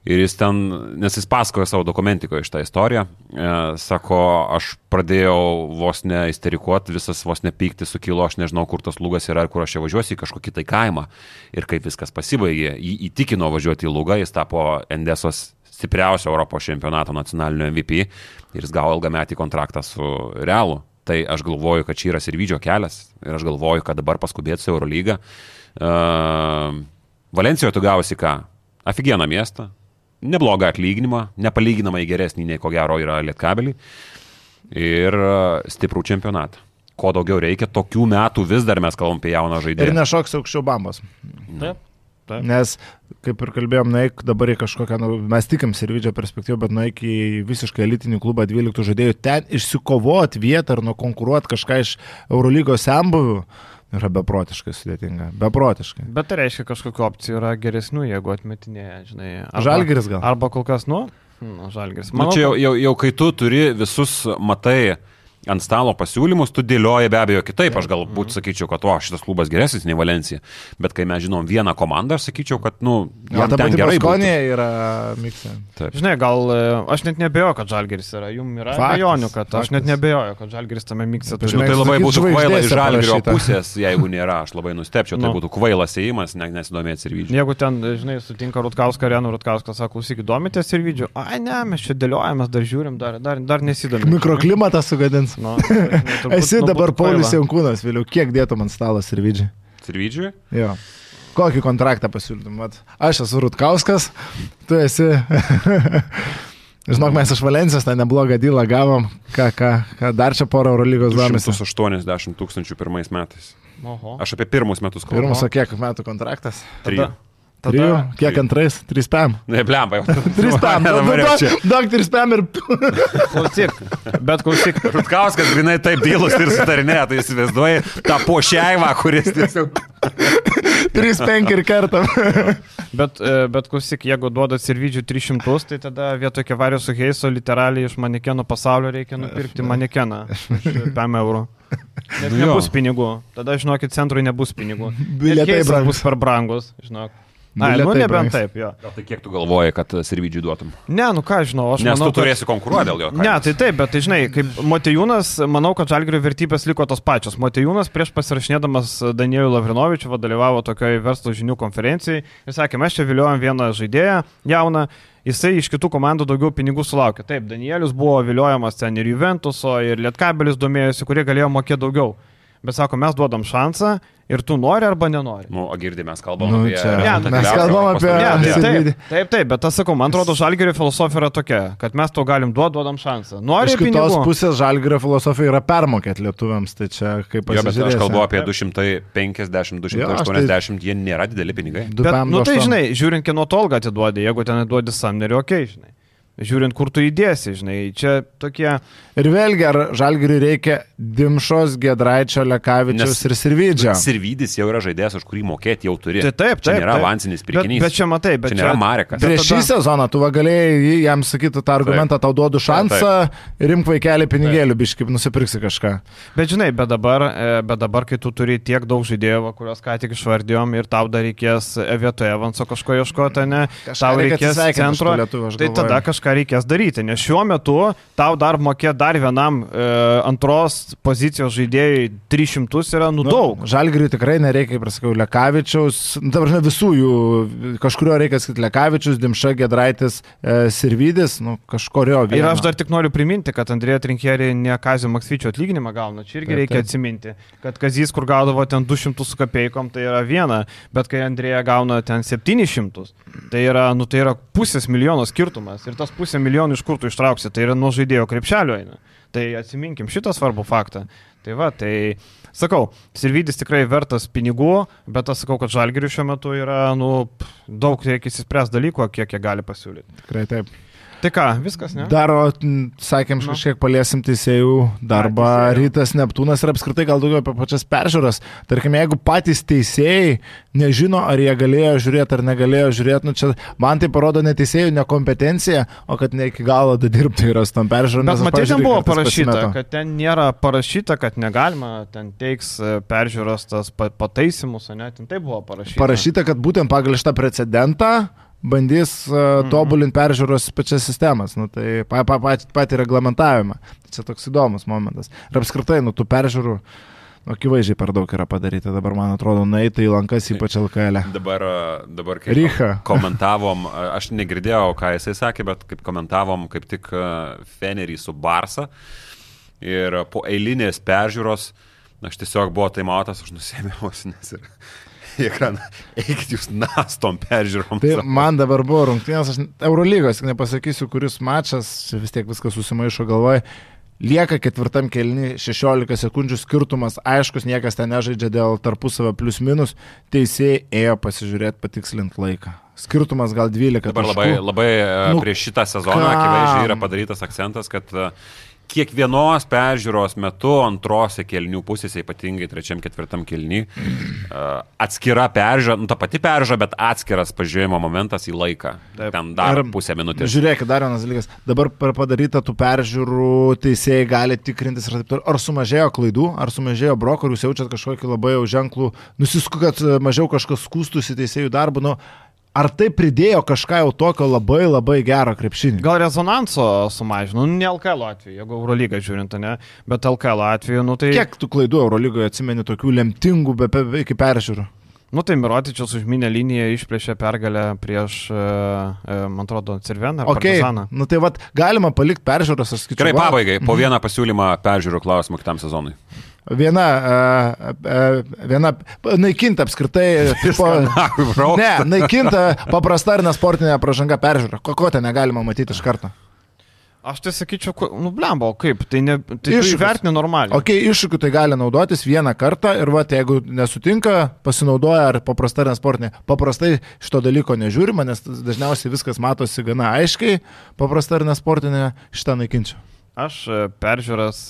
Ir jis ten, nes jis pasakoja savo dokumentikoje iš tą istoriją, e, sako, aš pradėjau vos ne isterikuoti, visas vos ne pykti sukilo, aš nežinau, kur tas Lugas yra ir kur aš čia važiuosiu į kažkokį tai kaimą. Ir kaip viskas pasibaigė, jį įtikino važiuoti į Lugą, jis tapo Endesos stipriausio Europos čempionato nacionalinio M V P ir jis gavo ilgametį kontraktą su Realu. Tai aš galvoju, kad čia yra Sirvidžio kelias ir aš galvoju, kad dabar paskubėti su Eurolygą. Uh, Valencijoje tu gausi ką? Aфиgeną miestą. Neblogą atlyginimą, nepalyginamai geresnį nei ko gero yra Lietkabelį ir stiprų čempionatą. Ko daugiau reikia, tokių metų vis dar mes kalbam apie jauną žaidėją. Ir nešoks aukščiau bambos. Taip. Taip. Nes, kaip ir kalbėjom, nueik dabar į kažkokią, nu, mes tikim Sirvidžio perspektyvą, bet nueik į visiškai elitinį klubą dvyliktų žaidėjų, ten išsikovoti vietą ar nukonkuruoti kažką iš Eurolygos senbuvių. Yra beprotiškai sudėtinga. Beprotiškai. Bet tai reiškia, kažkokiu opcijų yra geresnių, jeigu atmetinėja, žinai. Arba, Žalgiris gal. Arba kol kas, nu, nu Žalgiris. Manau, nu, čia jau, jau, jau kai tu turi visus matai ant stalo pasiūlymus, tu dėlioji be abejo kitaip. Aš galbūt sakyčiau, kad o, šitas klubas geresnis nei Valencija. Bet kai mes žinom vieną komandą, aš sakyčiau, kad, nu, jam ja, ten gerai būtų. Yra miksė. Žinai, gal aš net nebejoju, kad Žalgiris yra. Jums yra abejonių, kad faktis. Aš net nebejoju, kad Žalgiris tame miksė turi. Nu, tai labai būtų kvaila iš Žalgirio pusės, jeigu nėra. Aš labai nustepčiau, tai no. būtų kvailas ėjimas, ne, nesidomėti Sirvidžiu. Jeigu ten, žinai, sutinka Rutkauską, Renu Rutkauską, sako, klausykit, domitės Sirvidžiu. Ai, ne, mes čia dėliojamės, dar žiūrim, dar, dar, dar nesidomės. Mikroklimatą sugadins. No. Turbūt, Esi dabar Paulius Jankūnas, vėliau, kiek dėtum ant stalo Sirvidžiui? Sirvidžiui? Jo. Kokį kontraktą pasiūlytum? Vat, aš esu Rutkauskas, tu esi... Žinok, mes iš Valencijos tą neblogą dylą gavom, ką, ką, ką dar čia porą Eurolygos duomės. du šimtai aštuoniasdešimt tūkstančių pirmais metais. Oho. Aš apie pirmus metus kalbu. Pirmus, o kiek metų kontraktas? Trijų. Trijų? Kiek antrais? Trys pėm. Ne, blemba jau. Trys pėm. Daug trys pėm ir... Klausyk, bet klausyk. Rutkauskas grinai taip dylus ir sutarinė, tai įsivaizduoji tą pošeivą, kuris tiesiog... trys penki ir kartam. Bet, bet klausyk, jeigu duodat Sirvidžių tris šimtus, tai tada vietoj Kevarijos su Heiso literaliai iš manekenų pasaulio reikia nupirkti manekeną už pem eurų. Nes Nu jo. nebus pinigų. Tada, žinokit, centrui nebus pinigų. Bilietai Heisas brangus. bus per brangus, žinok. Ai, Bilietai nu nebent brangs. taip, jo. Gal tai kiek tu galvoji, kad Sirvidžiui duotum? Ne, nu ką žinau, aš Nes manau, tu turėsi konkuruoti dėl jo. Ne, tai taip, bet tai žinai, kaip Motejūnas, manau, kad Žalgirio vertybės liko tos pačios. Motejūnas prieš pasirašinėdamas Danieliu Lavrinovičiu dalyvavo tokioje verslo žinių konferencijai ir sakė, mes čia viliojam vieną žaidėją jauną, jisai iš kitų komandų daugiau pinigų sulaukė. Taip, Danielius buvo viliojamas ten ir Juventuso, ir Lietkabelis domėjosi, kurie galėjo mokėti daugiau. Bet sako, mes duodam šansą ir tu nori arba nenori. Nu, o girdi, mes kalbam Nu, apie... čia- Ne, mes kalbam apie- Ne, tai Sirvidį. taip, taip, taip, bet aš sakau, man atrodo, Žalgirio filosofija yra tokia, kad mes to galim duoti, duodam šansą. Nori Iš kitos pinigų. pusės Žalgirio filosofija yra permokėti lietuviams, tai čia kaip Jo, bet aš pasižiūrėsi. kalbu apie du šimtai penkiasdešimt du šimtai aštuoniasdešimt, jie nėra dideli pinigai. Du Bet, pem, nu du tai aštuom. žinai, žiūrint, kieno tolgą atiduodi, jeigu ten atiduodi Samnerį, okei, okay, žinai. Žiūrint, kur tu įdėsi, žinai, čia tokie... Ir vėlgi, ar Žalgiriui reikia Dimšos, Gedraičio, Lekavičiaus Nes- ir Sirvidžio? Sirvidis jau yra žaidėjas, už kurį mokėti jau turi. Tai taip, Čia taip. nėra taip. avansinis Bet, pirkinys. bet čia matai, bet Čia nėra Marekas. Bet Prieš šį tada- sezoną tu va galėjai jį- jam sakyti tą argumentą, tau duodu šansą ir imk vaikelį pinigėlių, biškai nusipirksi kažką. Bet žinai, bet dabar, e, bet dabar, kai tu turi tiek daug žaidėjų, va, kuriuos ką tik išvardėjom ir tau dar reikės vietoje Evanso kažko ieškoti, ne, Kažką tau reikia reikės atsisveikinti iš centro, tų lietuvių, aš tai galvoju. tada kažką reikės daryti, nes šiuo metu tau dar mokėti dar vienam e, antros pozicijos žaidėjui tris šimtus yra nu daug. Žalgiriui tikrai nereikia, kaip ir sakiau, Lekavičiaus, nu, ta prasme, visų jų, kažkurio reikia sakyti Lekavičius, Dimša, Gedraitis, e, Sirvidis, nu, kažkurio vieno. Ir aš dar tik noriu priminti, kad Andrėja Trinkierį ne Kazio Maksvyčio atlyginimą gauna. Čia irgi Taip, reikia taip. atsiminti, kad Kazys, kur gaudavo ten du šimtus su kapeikom, tai yra viena, bet kai Andrėja gauna ten septynis šimtus, tai yra, nu, tai yra pusės milijono skirtumas. Ir tas pusė milijonų iš kur tu ištrauksi, tai yra nuo žaidėjo krepšelio eina. Tai atsiminkim šitą svarbų faktą. Tai va, tai sakau, Sirvidis tikrai vertas pinigų, bet aš sakau, kad Žalgiriui šiuo metu yra, nu, daug reikia įsispręs dalykų, kiek jie gali pasiūlyti. Tikrai taip. Tai ką, viskas, ne? Dar, o, m, sakėm, Nu. kažkiek paliesim teisėjų darbą, A, teisėjų. Rytas, Neptūnas ir apskritai gal daugiau apie pačias peržiūras. Tarkime, jeigu patys teisėjai nežino, ar jie galėjo žiūrėti ar negalėjo žiūrėti, nu čia man tai parodo ne teisėjų nekompetencija, o kad ne iki galo dirbti yra su tom peržiūrom. Bet nes aš, matai, ten pavyzdžiui, buvo kartais parašyta, pasimetu. kad ten nėra parašyta, kad negalima, ten teiks e, peržiūros tas pa- pataisimus, ne, ten tai buvo parašyta. Parašyta, kad būtent pagal šitą precedentą bandys uh, Mhm. tobulinti peržiūros pačias sistemas, nu, tai pa, pa, pa, patį reglamentavimą. Tai čia toks įdomus momentas. Ir apskritai, nu, tų peržiūrų, nu, akivaizdžiai per daug yra padaryta. Dabar, man atrodo, nueita į lankas, ypač L K L. Dabar, dabar kaip Rycha. komentavom, aš negirdėjau, ką jisai sakė, bet kaip komentavom kaip tik Fenerį su Barsa ir po eilinės peržiūros, aš tiesiog buvo taimautas, aš nusėmiau ausines ir į ekraną, eikit jūs nastom peržiūrom. Tai man dabar buvo rungtynės, aš Eurolygos, tik nepasakysiu, kuris mačas, čia vis tiek viskas susimaišo galvoj. Lieka ketvirtam kėliny šešiolika sekundžių skirtumas, aiškus, niekas ten nežaidžia dėl tarpusavio plius minus, teisėjai ėjo pasižiūrėti, patikslinti laiką. Skirtumas gal dvylika. Dabar labai, taškų. labai Nu, nu, prieš šitą sezoną kam? akivaizdžiai yra padarytas akcentas, kad e, kiekvienos peržiūros metu antrose kelnių pusėse, ypatingai trečiam, ketvirtam kelny, atskira peržiūra, nu ta pati peržiūra, bet atskiras pažiūrėjimo momentas į laiką. Taip. Ten dar Ir pusę minutės. Žiūrėkit, dar vienas dalykas. Dabar per padarytą tų peržiūrų teisėjai gali tikrintis, ir taip toliau. Ar sumažėjo klaidų, ar sumažėjo broko, ar jūs jaučiat kažkokį labai jau ženklų, nusisku, kad mažiau kažkas skūstųsi teisėjų darbu. Nu, ar tai pridėjo kažką jau tokio labai labai gero krepšinį? Gal rezonanso sumažino, nu, ne L K L atveju, jeigu Eurolygą žiūrint, ne, bet L K L atveju, nu tai... Kiek tų klaidų Eurolygoje atsimeni tokių lemtingų be, be, iki peržiūrų? Nu tai Mirotičius užminę liniją išplėšė pergalę prieš, e, e, man atrodo, Cerveną ar Okay. Partizaną. Nu tai vat, galima palikti peržiūros, aš skaičiu. Gerai, va, pabaigai, po vieną pasiūlymą peržiūrų klausimą kitam sezonui. viena, viena naikinta apskritai, po, ne, naikinta paprasta ir nesportinė pražanga peržiūra. Ko, ko ten negalima matyti iš karto? Aš tai sakyčiau, nu blemba, kaip, tai, ne, tai įvertini normaliai. Ok, iššūkių tai gali naudotis vieną kartą ir va, jeigu nesutinka, pasinaudoja ar paprasta ar nesportinė. Paprastai šito dalyko nežiūrima, nes dažniausiai viskas matosi gana aiškiai, paprasta ar nesportinė, šitą naikinčiau. Aš peržiūras,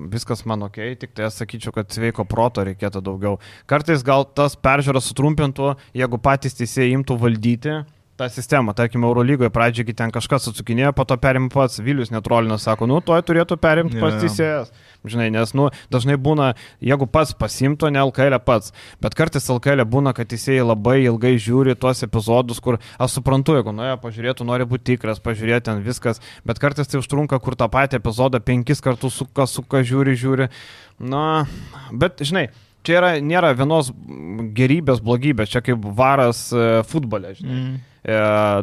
viskas man ok, tik tai aš sakyčiau, kad sveiko proto reikėtų daugiau. Kartais gal tas peržiūras sutrumpintų, jeigu patys teisėjai imtų valdyti tą sistemą. Tarkime, Eurolygoje pradžiai ten kažkas atsukinėjo, po to perimė pats, Vilius Netrolinas sako, nu, toj turėtų perimti pats teisėjas. Žinai, nes, nu, dažnai būna, jeigu pats pasimto, ne L K L pats, bet kartais L K L būna, kad teisėjai labai ilgai žiūri tuos epizodus, kur aš suprantu, jeigu nuėjo pažiūrėtų, nori būti tikras, pažiūrėti ten viskas, bet kartais tai užtrunka, kur tą patį epizodą penkis kartus suka, suka, žiūri, žiūri. Na, bet, žinai, čia yra, nėra vienos gerybės, blogybės, čia kaip varas futbole, žinai. Mm.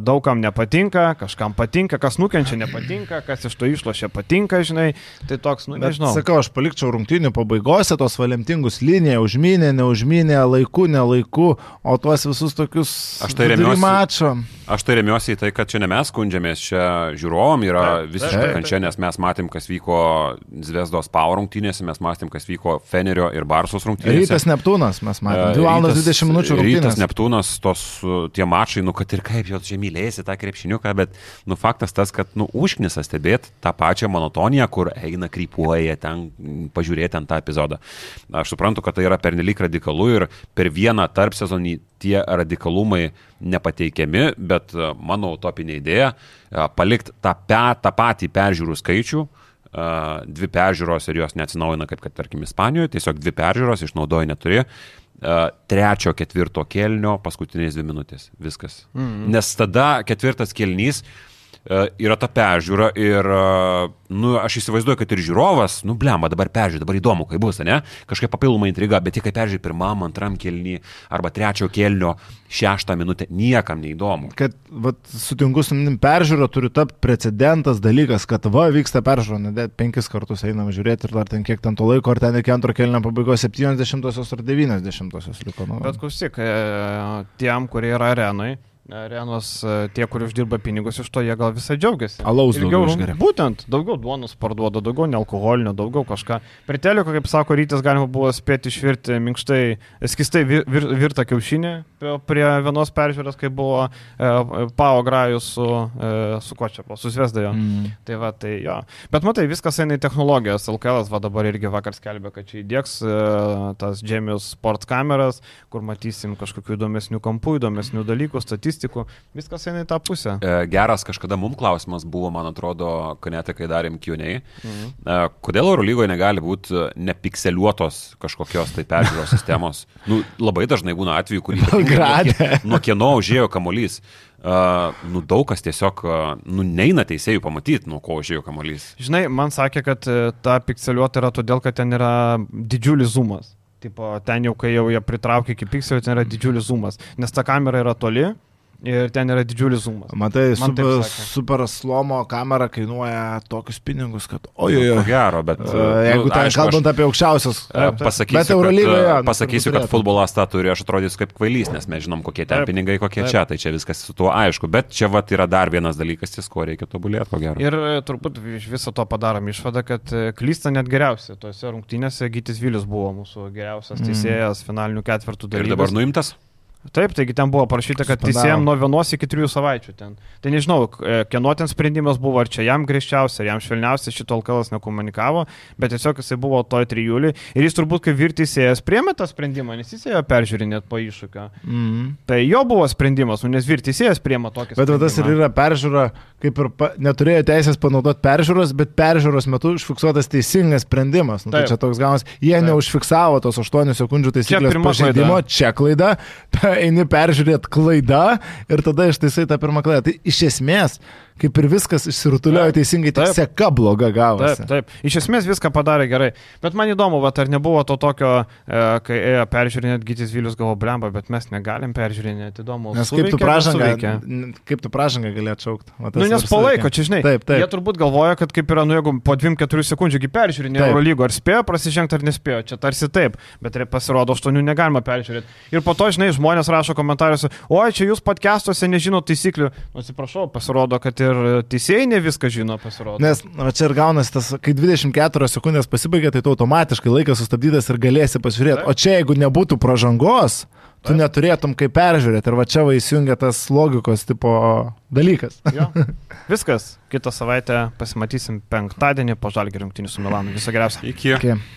Daugam nepatinka, kažkam patinka, kas nukenčia nepatinka, kas iš to išlošia patinka, žinai, tai toks, nu, bet, nežinau. Sakau, aš palikčiau rungtynių pabaigose tos valemtingus liniją, užminė, neužminė, laiku, nelaiku, o tuos visus tokius mačo. Aš tai remiuosi į tai, kad čia ne mes skundžiamės, čia žiūrovom yra visiškai kančia, nes mes matėm, kas vyko Zvezdos Pau rungtynėse, mes matėm, kas vyko Fenerio ir Barsos rungtynėse. Rytas Neptūnas, mes matėm, dvi valandos dvidešimt minučių rungtynės. Rytas Neptūnas, tos tie mačai, nu, kad ir kaip jau čia mylėsi tą krepšiniuką, bet, nu, faktas tas, kad, nu, užknisa stebėti tą pačią monotoniją, kur eina krypuoja ten, pažiūrėti ant tą epizodą. Aš suprantu, kad tai yra pernelyg radikalu ir per vieną tarp sezonį tie radikalumai nepateikiami, bet mano utopinė idėja palikti tą, pe, tą patį peržiūrų skaičių, dvi peržiūros ir jos neatsinaujina, kaip kad, tarkim, Ispanijoje, tiesiog dvi peržiūros, išnaudoja neturi, trečio, ketvirto kėlinio, paskutinės dvi minutės, viskas. Mm-hmm. Nes tada ketvirtas kėlinys yra ta peržiūra ir, nu, aš įsivaizduoju, kad ir žiūrovas, nu, blemba, dabar peržiūrė, dabar įdomu, kai bus, ne? Kažkaip papildoma intriga, bet tik kai peržiūrė pirmam, antram kėlinį arba trečio kėlinio šeštą minutę, niekam neįdomu. Kad, vat, sutinku su manim, peržiūra turi tapti precedentas dalykas, kad va, vyksta peržiūra, ne, penkis kartus einam žiūrėti ir dar ten kiek ten to laiko, ar ten iki antro kėlinio pabaigos septyniasdešimtosios ar devyniasdešimtosios liko. Nu. Bet klausyk, tiem, kurie yra arenai, arenos, tie, kurie uždirba pinigus iš to, jie gal visai džiaugiasi. Alaus daugiau išgeria. Būtent, daugiau duonos parduoda, daugiau nealkoholinio, daugiau kažką. Prie teliko, kaip sako Rytis, galima buvo spėti išvirti minkštai, skistai vir, vir, virtą kiaušinį prie vienos peržiūros, kai buvo e, Pau Grajus su, e, su ko čia, su Zvezda jo. Mm. Tai va, tai jo. Bet matai, viskas eina į technologijas. L K L va dabar irgi vakar skelbė, kad čia įdėks e, tas Genius Sports kameras, kur matysim kažkokių įdomesnių kampų, įdomesnių dalykų, statistikų. Viskas eina į tą pusę. Geras kažkada mums klausimas buvo, man atrodo, Kanete, kai darėm Q and A. Mhm. Kodėl Eurolygoje negali būti nepikseliuotos kažkokios tai peržiūros sistemos? Nu, labai dažnai būna atvejų, kurį nuo, nuo kieno užėjo kamuolys. Uh, nu, daug kas tiesiog, uh, nu, neina teisėjų pamatyti, nuo ko užėjo kamuolys. Žinai, man sakė, kad ta pikseliuota yra todėl, kad ten yra didžiulis zoomas. Tipo, ten jau, kai jau jie pritraukia iki pikselio, ten yra didžiulis zoomas. Nes ta kamera yra toli. Ir ten yra didžiulis zoomas. Matai, super, super slomo kamera kainuoja tokius pinigus, kad ojojoj. Ko gero, bet... Uh, jeigu nu, ten aišku, kalbant aš, apie aukščiausius... Uh, pasakysiu, kad, uh, pasakysiu kad futbolas tą turi, aš atrodysiu kaip kvailys, nes mes žinom, kokie ten taip, pinigai, kokie taip. Čia, tai čia viskas su tuo aišku. Bet čia vat yra dar vienas dalykas, ties ko reikia tobulėti, ko gero. Ir turbūt iš viso to padarom išvadą, kad klysta net geriausiai. Tose rungtynėse Gytis Vilius buvo mūsų geriausias teisėjas mm. finalinių ketvirtų dalyvis. Ir dabar nuimtas? Taip, taigi ten buvo parašyta, kad teisėjam nuo vienos iki trijų savaičių ten. Tai nežinau, kieno ten sprendimas buvo, ar čia jam griežčiausia, ar jam švelniausia, šito L K L nekomunikavo, bet tiesiog jisai buvo toj trijulį. Ir jis turbūt, kaip vyr teisėjas, priėmė tą sprendimą, nes jis ėjo peržiūrinėt po iššūkio. Mm. Tai jo buvo sprendimas, nes vyr teisėjas priėmė tokį sprendimą. Bet tas ir yra peržiūra, kaip ir pa, neturėjo teisės panaudoti peržiūros, bet peržiūros metu užfiksuotas teisingas sprendimas. Nu, tai čia toks gaunas, jie Taip. neužfiksavo tos aštuonių sekundžių taisyklės pažeidimo, čia klaida. Eini peržiūrėti klaidą ir tada ištaisai tą pirmą klaidą. Tai iš esmės, kaip ir viskas išsirutuliojo teisingai, tik seka bloga gavosi. Taip, taip. Iš esmės viską padarė gerai. Bet man įdomu, va, ar nebuvo to tokio, e, kai ėjo peržiūrinėti Gytis Vilius, galvo, blemba, bet mes negalim peržiūrinėti, įdomu. Nes kaip tu pražangą, kaip tu pražangą gali atšaukti. Nu, nes palaiko, čia žinai. Taip, taip. Jie turbūt galvoja, kad kaip yra, nu, jeigu po dviejų keturių sekundžių peržiūrinė Eurolygo, ar spėjo prasižengti ar nespėjo, čia tarsi taip, bet pasirodo aštuonių negalima peržiūrėti. Ir po to, žinai, žmonės rašo komentariuose, oi, čia jūs podcastuose nežino taisyklių. Nu, atsiprašau, pasirodo, kad ir teisėjai ne viską žino, pasirodo. Nes va, čia ir gaunasi tas, kai dvidešimt keturios sekundės pasibaigia, tai tu automatiškai laikas sustabdytas ir galėsi pasižiūrėti. Taip. O čia, jeigu nebūtų pražangos, tu Taip. neturėtum kaip peržiūrėti. Ir va čia va įsijungia tas logikos tipo dalykas. Jo. Viskas. Kitą savaitę pasimatysim penktadienį po Žalgirio rungtynių su Milanu. Viso geriausio. Iki. Iki.